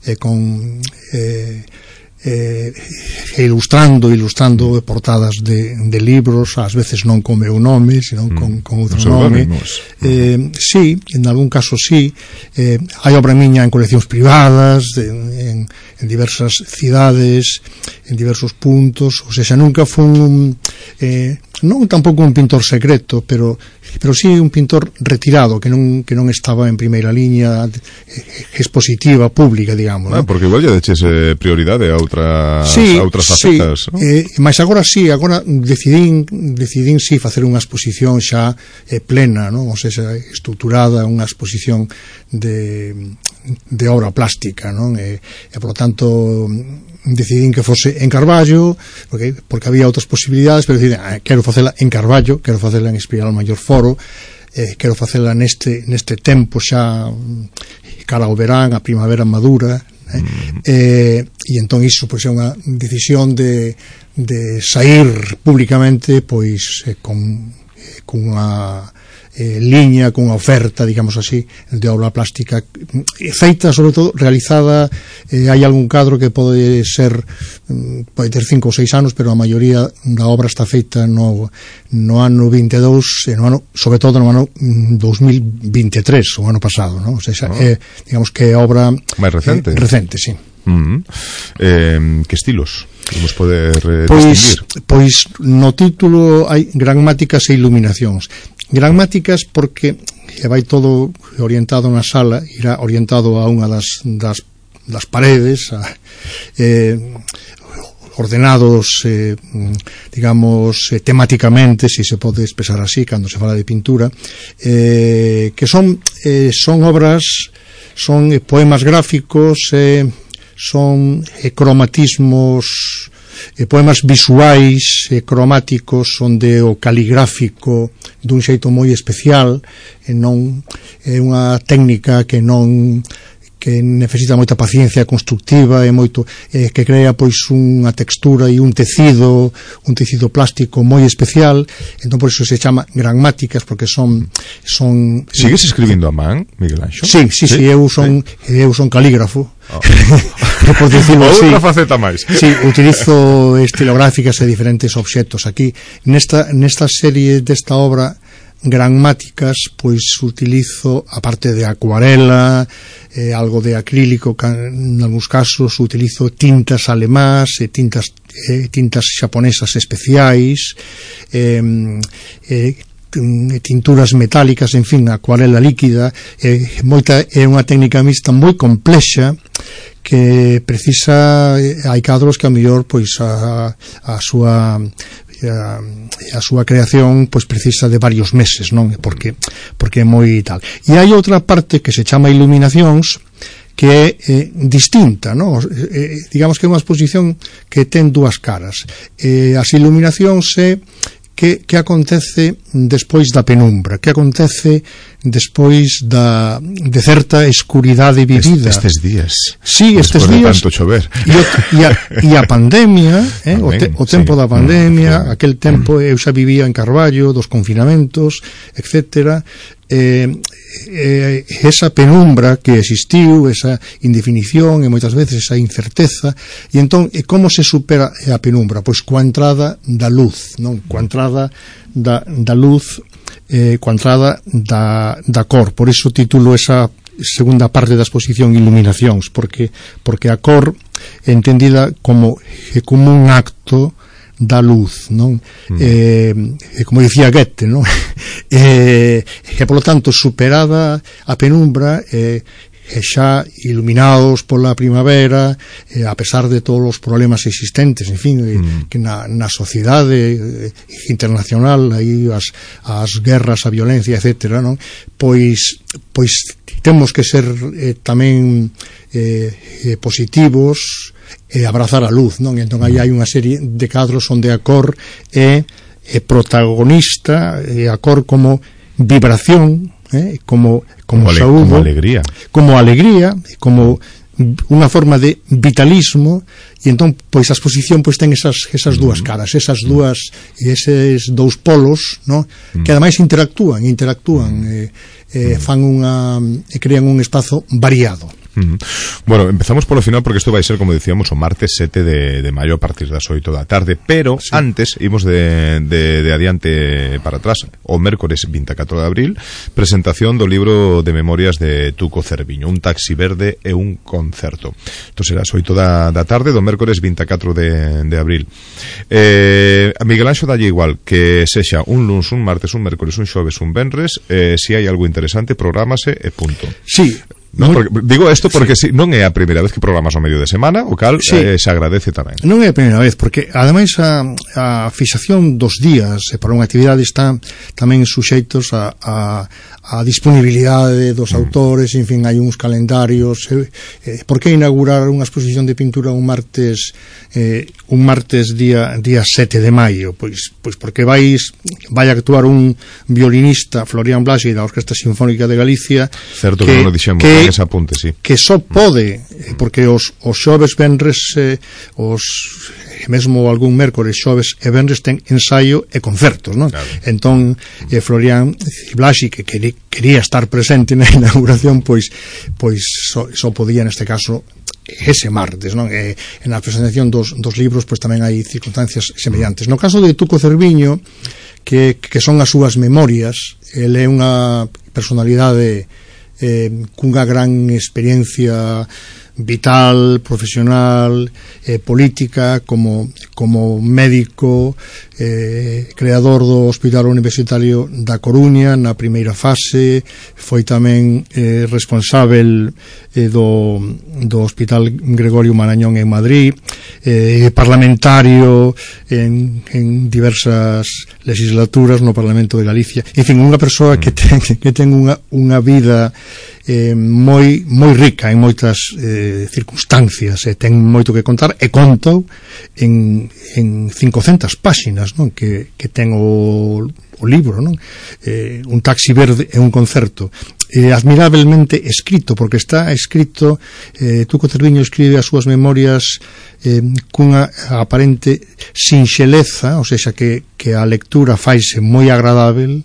eh, con eh, eh, ilustrando ilustrando portadas de, de libros, ás veces non con meu nome, senón con, con outro nome. Eh, sí, en algún caso sí. Eh, hai obra miña en coleccións privadas, de, en, en diversas cidades, en diversos puntos, ou seja, nunca fun eh, non tampouco un pintor secreto, pero pero sí un pintor retirado, que non que non estaba en primeira liña expositiva pública, digamos, ah, ¿no? Porque igual lle deches eh, prioridade a outras sí, a outras facetas, sí. ¿no? Eh, mas agora sí, agora decidín decidín sí facer unha exposición xa eh, plena, ¿no? Ou seja, estruturada, unha exposición de de obra plástica, non? E, e por lo tanto decidín que fose en Carballo, porque, porque había outras posibilidades, pero decidín, ah, quero facela en Carballo, quero facela en Espiral Maior Foro, eh, quero facela neste, neste tempo xa cara ao verán, a primavera madura, eh? Mm. eh, e entón iso pois é unha decisión de, de sair públicamente pois eh, con, eh, con unha Eh, liña, con unha oferta, digamos así, de obra plástica feita, sobre todo, realizada. Eh, hai algún cadro que pode ser pode ter cinco ou seis anos, pero a maioría da obra está feita no, no ano vinte e dous, e no ano, sobre todo no ano dos mil vinte e tres, o ano pasado, ¿no? O sea, oh. eh, digamos que é obra máis recente. Eh, recente, sí. Mm-hmm. eh, que estilos vamos poder eh, pois, distinguir? Pois no título hai Grammáticas e Iluminacións. Grammáticas porque vai todo orientado na sala, irá orientado a unha das, das, das paredes, a, eh, ordenados eh, digamos eh, temáticamente, se si se pode expresar así cando se fala de pintura, eh, que son eh, son obras, son eh, poemas gráficos, eh, son eh, cromatismos, eh, poemas visuais, eh, cromáticos, onde o caligráfico dun xeito moi especial, e non é unha técnica que non que necesita moita paciencia constructiva e moito eh, que crea pois unha textura e un tecido, un tecido plástico moi especial. Entón por iso se chama grammáticas, porque son son Sigues escribindo a man, Miguel Anxo? Sí, sí, sí, sí eu son sí. eu son calígrafo. Oh. por decirlo así. Outra faceta máis. Sí, utilizo estilográficas e diferentes obxectos aquí. Nesta, nesta serie desta obra grammáticas, pois utilizo, aparte de acuarela, eh, algo de acrílico, en algúns casos utilizo tintas alemás, eh, tintas, eh, tintas xaponesas especiais, eh, eh, tinturas metálicas, en fin, acuarela líquida, eh, moita, é unha técnica mixta moi complexa que precisa, hai cadros que a mellor pois a, a súa a, a súa creación pois precisa de varios meses, non? Porque porque é moi tal. E hai outra parte que se chama iluminacións, que é eh, distinta, non? Eh, digamos que é unha exposición que ten dúas caras. Eh, as iluminacións é que, que acontece despois da penumbra, que acontece despois da, de certa escuridade vivida. Estes días. Sí, estes días. De tanto chover. E, o, e, a, e a pandemia, eh, o, te, o tempo sí. da pandemia, mm, aquel tempo eu xa vivía en Carballo, dos confinamentos, etcétera. Eh, eh, esa penumbra que existiu, esa indefinición e moitas veces esa incerteza, e entón, e como se supera a penumbra? Pois coa entrada da luz, non? Coa entrada da, da luz, eh, coa entrada da, da cor. Por iso titulo esa segunda parte da exposición Iluminacións, porque porque a cor é entendida como, como un acto da luz, non? Mm. Eh, como dicía Goethe, non? eh, e, polo tanto, superada a penumbra, eh, e xa iluminados pola primavera, eh, a pesar de todos os problemas existentes, en fin, eh, mm. que na, na sociedade eh, internacional, aí as, as guerras, a violencia, etcétera, non? Pois, pois temos que ser eh, tamén eh, eh, positivos, e abrazar a luz, non? Entón aí hai unha serie de cadros onde a cor é, é protagonista, e a cor como vibración, eh? como, como, como saúdo, como alegría, como alegría, como unha forma de vitalismo, e entón pois a exposición pois ten esas, esas dúas caras, esas dúas e eses dous polos, non? Que ademais interactúan, interactúan, e, e fan unha, e crean un espazo variado. Uh-huh. Bueno, empezamos polo final porque isto vai ser, como dicíamos, o martes sete de, de maio a partir das oito da tarde, pero sí. Antes imos de, de, de adiante para atrás. O mércores vinte e catro de abril, presentación do libro de memorias de Tuco Cerviño, Un taxi verde e un concerto. Isto será as oito da, da tarde do mércores vinte e catro de, de abril. eh, A Miguel Anxo dalle igual que sexa un luns, un martes, un mércores, un xoves, un venres, eh, se hai algo interesante prográmase e punto. Sí. No, porque, digo isto porque sí. Si, non é a primeira vez que programas o medio de semana, o cal sí. eh, se agradece tamén. Non é a primeira vez, porque ademais a, a fixación dos días para unha actividade está tamén suxeitos a, a, a disponibilidade dos mm. autores, en fin, hai uns calendarios. Eh, eh, por que inaugurar unha exposición de pintura un martes eh, un martes día día sete de maio? Pois pois porque vais vai a actuar un violinista, Florian Blasi, da Orquesta Sinfónica de Galicia. Certo que, que non o dixemos. Que, ese apunte, sí. Que só pode, porque os, os xoves, venres, eh, os mesmo algún mércores, xoves e venres ten ensaio e concertos, non? Claro. Entón, eh, Florian Blasi, que quería, quería estar presente na inauguración, pois pois só, só podía neste caso ese martes, non? E, en a presentación dos, dos libros, pois tamén hai circunstancias semellantes. No caso de Tuco Cerviño, que, que son as súas memorias, ele é unha personalidade Eh, cunha gran experiencia vital, profesional, eh, política, como, como médico, eh, creador do Hospital Universitario da Coruña na primeira fase, foi tamén eh, responsável eh, do, do Hospital Gregorio Marañón en Madrid, eh, parlamentario en, en diversas legislaturas no Parlamento de Galicia, en fin, unha persoa que ten, que ten unha, unha vida eh, moi, moi rica en moitas eh, circunstancias, e eh, ten moito que contar, e contou en, en cincocentas páxinas, non? Que, que ten o, o libro, non? Eh, un taxi verde e un concerto, eh, admirablemente escrito, porque está escrito, eh, Tuco Cerviño escribe as súas memorias eh, cunha aparente sinxeleza, ou seja, que, que a lectura faise moi agradável,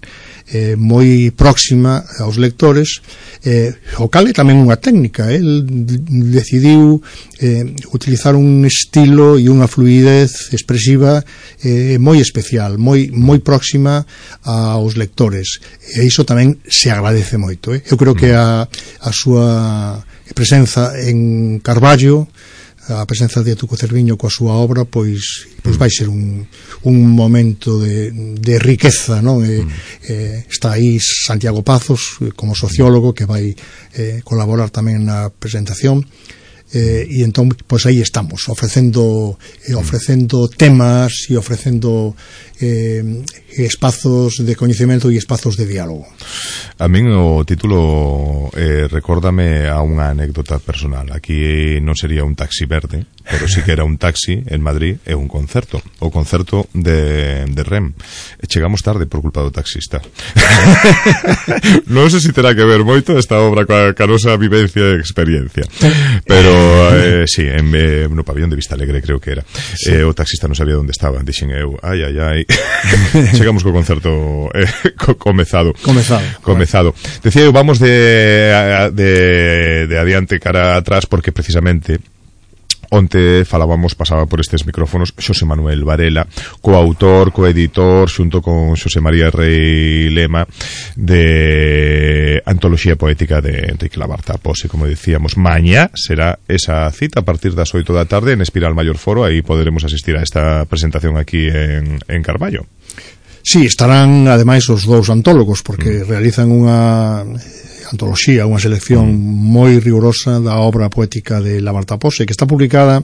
eh, moi próxima aos lectores, eh, o cal é tamén unha técnica. El decidiu eh, utilizar un estilo e unha fluidez expresiva eh, moi especial, moi, moi próxima aos lectores, e iso tamén se agradece moito, eh? Eu creo que a, a súa presenza en Carballo, a presenza de Tuco Cerviño coa súa obra, pois, pois vai ser un, un momento de, de riqueza, non? E, eh, está aí Santiago Pazos como sociólogo que vai eh, colaborar tamén na presentación, eh, e entón, pois aí estamos ofrecendo eh, ofrecendo temas e ofrecendo eh, espazos de coñecemento e espazos de diálogo. A min o título eh, recórdame a unha anécdota personal. Aquí non sería un taxi verde, pero sí que era un taxi en Madrid e un concerto, o concerto de, de R E M. E chegamos tarde por culpa do taxista. Non sei se terá que ver moito esta obra coa, coa nosa vivencia e experiencia, pero eh, sí, en, eh, no pabellón de Vista Alegre creo que era, sí. eh, o taxista non sabía onde estaba, dixen eu, ai, ai, ai. Chegamos co concerto eh, co, comezado comezado, comezado. Decía eu, vamos de, de, de adiante cara atrás, porque precisamente onte falábamos, pasaba por estes micrófonos Xosé Manuel Varela, coautor, coeditor xunto con Xosé María Rei Lema de Antoloxía Poética de Enrique Labarta Pose. Como decíamos, mañá será esa cita a partir das oito da tarde en Espiral Maior Foro. Aí poderemos asistir a esta presentación aquí en, en Carballo. Sí, estarán ademais os dous antólogos, porque mm. realizan unha antoloxía, unha selección moi rigurosa da obra poética de Labarta Pose, que está publicada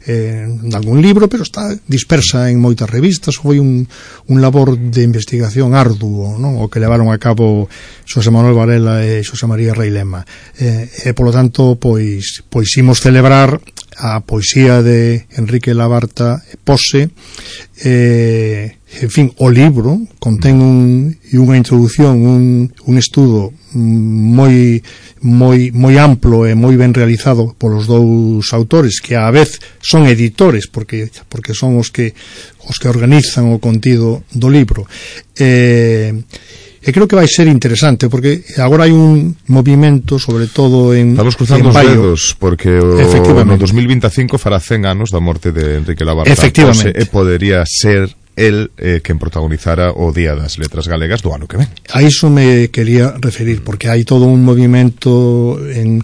eh, en algún libro, pero está dispersa en moitas revistas. Foi un, un labor de investigación arduo, non? O que levaron a cabo Xosé Manuel Varela e Xosé María Rei Lema. Eh, e, polo tanto, pois, pois imos celebrar a poesía de Enrique Labarta Pose. Eh, en fin, o libro contén un, unha introducción, un, un estudo moi moi moi amplo e moi ben realizado polos dous autores, que á vez son editores, porque porque son os que os que organizan o contido do libro. Eh, e creo que vai ser interesante, porque agora hai un movimento, sobre todo en estamos cruzando en os Baio, dedos, porque o, no dos mil veinticinco fará cen anos da morte de Enrique Labarta Pose, e podería ser el eh, quen protagonizara o Día das Letras Galegas do ano que ven. A iso me quería referir, porque hai todo un movimento en,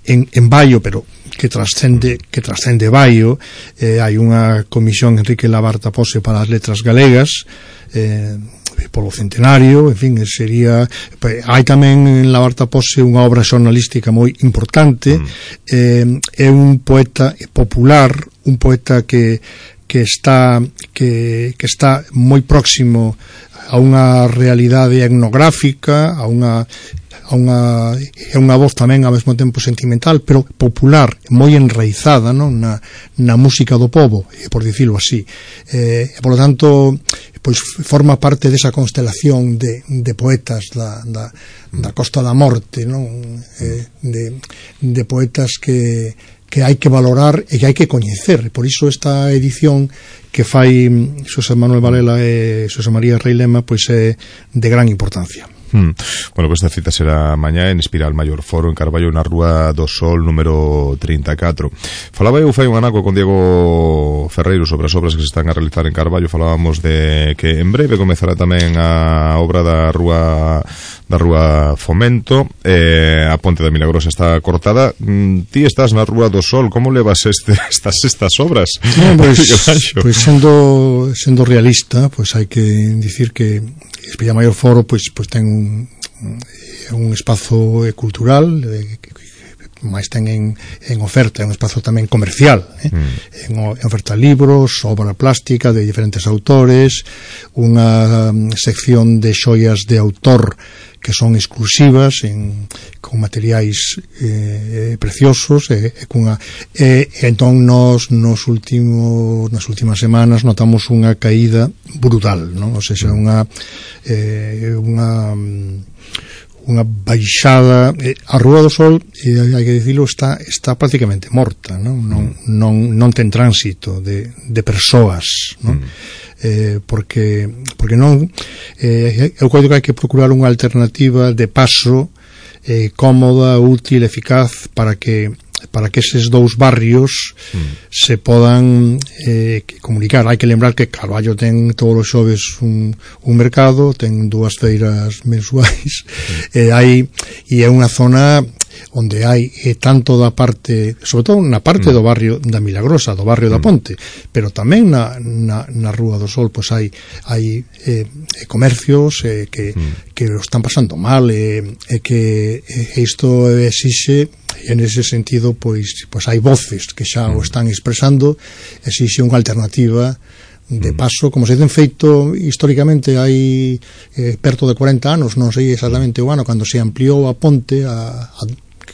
en, en Baio, pero que trascende que trascende Baio. Eh, hai unha comisión Enrique Labarta Pose para as Letras Galegas, eh, polo centenario, en fin, sería, hai tamén en Labarta Pose unha obra xornalística moi importante. Mm. eh, é un poeta popular, un poeta que que está que, que está moi próximo a unha realidade etnográfica, a unha a unha é unha voz tamén ao mesmo tempo sentimental, pero popular, moi enraizada, non, na na música do pobo, por dicilo así. Eh, e polo tanto, pois forma parte desa constelación de, de poetas da, da, da Costa da Morte, non? Eh, de, de poetas que que hai que valorar e que hai que coñecer. Por iso esta edición que fai Xosé Manuel Varela e Xosé María Rei Lema pois é de gran importancia. Hmm. Bueno, pues esta cita será mañá en Espiral Maior Foro en Carballo, na Rúa do Sol número trinta e catro. Falaba eu fai un anaco con Diego Ferreiro sobre as obras que se están a realizar en Carballo. Falábamos de que en breve comezará tamén a obra da Rúa da Rúa Fomento, eh, a Ponte da Milagrosa está cortada. Mm, ti estás na Rúa do Sol, como levas este, estas estas obras? No, pois, pois sendo sendo realista, pois hai que dicir que Espiral Maior Foro pois pois ten un un espazo cultural, eh, máis ten en, en oferta, é un espazo tamén comercial, eh? mm. en, en oferta libros, obra plástica de diferentes autores, unha um, sección de xoias de autor que son exclusivas, en, con materiais eh, preciosos, e, e, cunha, e, e entón nos, nos últimos, nas últimas semanas notamos unha caída brutal, non? O sea, unha eh, unha unha baixada. eh, a Rúa do Sol, eh, hai que dicilo, está está prácticamente morta, non non non, non ten tránsito de, de persoas, non? Mm. eh, porque porque non eh, eu creo que hai que procurar unha alternativa de paso eh, cómoda, útil, eficaz para que para que eses dous barrios mm. se podan eh, comunicar. Hai que lembrar que Carballo ten todos os xoves un, un mercado, ten dúas feiras mensuais, mm. e hai e é unha zona onde hai eh, tanto da parte, sobre todo na parte mm. do barrio da Milagrosa, do barrio mm. da Ponte, pero tamén na, na, na Rúa do Sol, pois hai hai eh, comercios eh, que, mm. que o están pasando mal e eh, que eh, isto exixe, e en ese sentido pois, pois hai voces que xa mm. o están expresando, exixe unha alternativa de paso, como se ten feito históricamente hai eh, perto de corenta anos, non sei exactamente o ano, cando se ampliou a ponte a, a,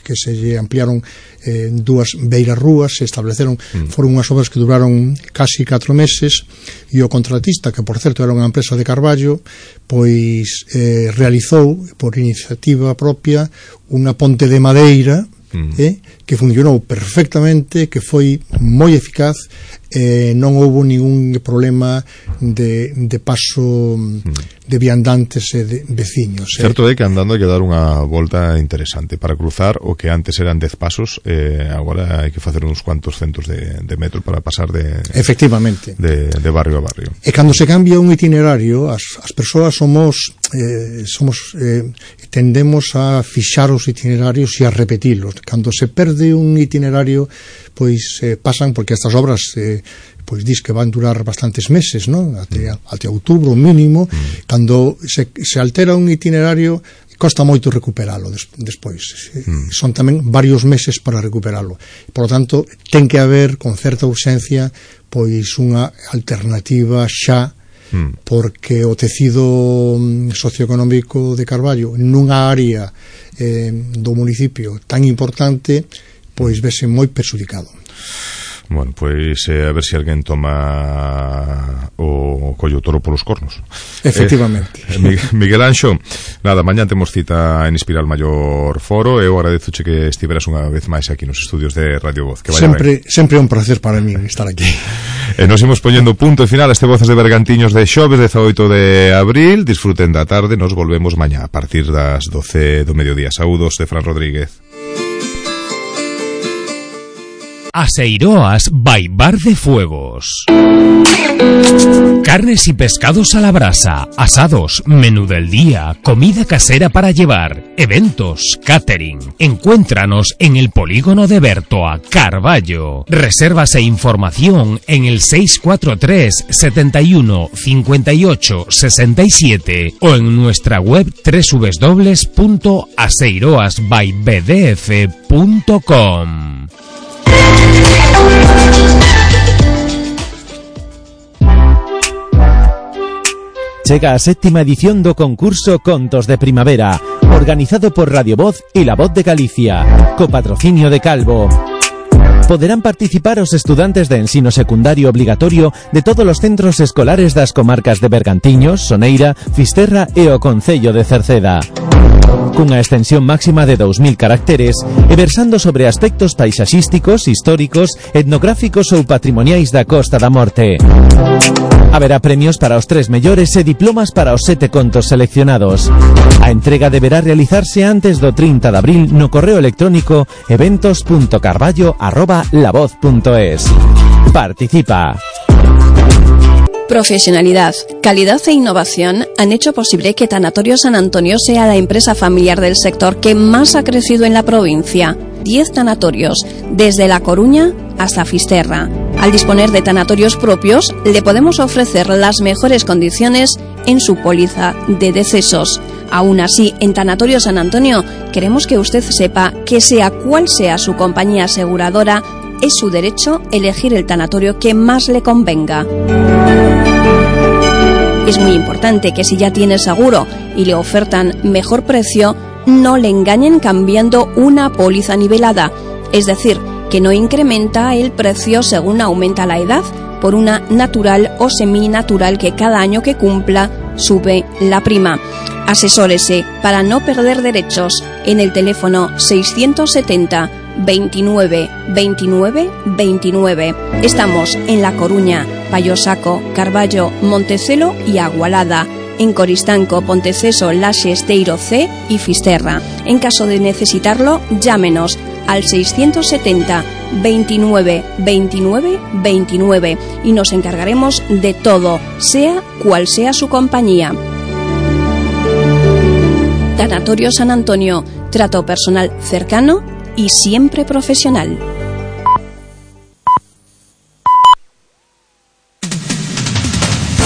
que se lle ampliaron eh, dúas beiras rúas, se estableceron mm. foron unhas obras que duraron casi catro meses e o contratista, que por certo era unha empresa de Carballo, pois eh, realizou por iniciativa propia unha ponte de madeira mm. eh, que funcionou perfectamente, que foi moi eficaz, eh, non houbo ningún problema de, de paso mm. de viandantes e de veciños. Certo é que andando hai que dar unha volta interesante para cruzar o que antes eran dez pasos, eh, agora hai que facer uns cuantos centos de, de metro para pasar de efectivamente de, de barrio a barrio. E cando se cambia un itinerario, as, as persoas somos eh, somos eh, tendemos a fixar os itinerarios e a repetilos. Cando se perde un itinerario, pois eh, pasan, porque estas obras eh, pois dis que van durar bastantes meses, non? Até, até outubro mínimo, mm. cando se, se altera un itinerario costa moito recuperalo des, despois. Mm. Son tamén varios meses para recuperalo. Por lo tanto, ten que haber con certa urxencia pois unha alternativa xa, mm. porque o tecido socioeconómico de Carballo nunha área eh, do municipio tan importante pois vese moi perxudicado. Bueno, pois eh, a ver se alguén toma o collo toro polos cornos. Efectivamente. Eh, Miguel Anxo, nada, mañán temos cita en Espiral Maior Foro. Eu agradezoche que estiveras unha vez máis aquí nos estudios de Radio Voz. Que vaya sempre, ben. Sempre é un placer para mí estar aquí. E nos imos poñendo punto e final a este Voces de Bergantiños de xoves dezaoito de abril. Disfruten da tarde, nos volvemos mañá a partir das doce do mediodía. Saúdos de Fran Rodríguez. Aseiroas by Bar de Fuegos. Carnes y pescados a la brasa, asados, menú del día, comida casera para llevar, eventos, catering. Encuéntranos en el polígono de Bertoa, Carballo. Reservas e información en el seis cuatro tres, setenta y uno, cincuenta y ocho, sesenta y siete o en nuestra web doble u doble u doble u punto aseiroas by b d f punto com. Chega a séptima edición do concurso Contos de Primavera, organizado por Radio Voz e La Voz de Galicia, co patrocinio de Calvo. Poderán participar os estudantes de ensino secundario obligatorio de todos os centros escolares das comarcas de Bergantiños, Soneira, Fisterra e o Concello de Cerceda. Cunha extensión máxima de dous mil caracteres e versando sobre aspectos paisaxísticos, históricos, etnográficos ou patrimoniais da Costa da Morte. Haberá premios para os tres mellores e diplomas para os sete contos seleccionados. A entrega deberá realizarse antes do trinta de abril no correo electrónico eventos punto carballo arroba lavoz punto es. Participa. Profesionalidad, calidad e innovación han hecho posible que Tanatorio San Antonio sea la empresa familiar del sector que más ha crecido en la provincia. Diez tanatorios, desde La Coruña hasta Fisterra. Al disponer de tanatorios propios, le podemos ofrecer las mejores condiciones en su póliza de decesos. Aún así, en Tanatorio San Antonio, queremos que usted sepa que sea cual sea su compañía aseguradora, es su derecho elegir el tanatorio que más le convenga. Es muy importante que si ya tiene seguro y le ofertan mejor precio, no le engañen cambiando una póliza nivelada, es decir, que no incrementa el precio según aumenta la edad, por una natural o seminatural que cada año que cumpla sube la prima. Asesórese para no perder derechos en el teléfono seiscientos setenta, veintinueve, veintinueve, veintinueve. Estamos en La Coruña, Payosaco, Carballo, Montecelo y Agualada. En Coristanco, Ponteceso, Laxe, Esteiro C y Fisterra. En caso de necesitarlo, llámenos al seiscientos setenta, veintinueve, veintinueve, veintinueve y nos encargaremos de todo, sea cual sea su compañía. Tanatorio San Antonio, trato personal cercano y siempre profesional.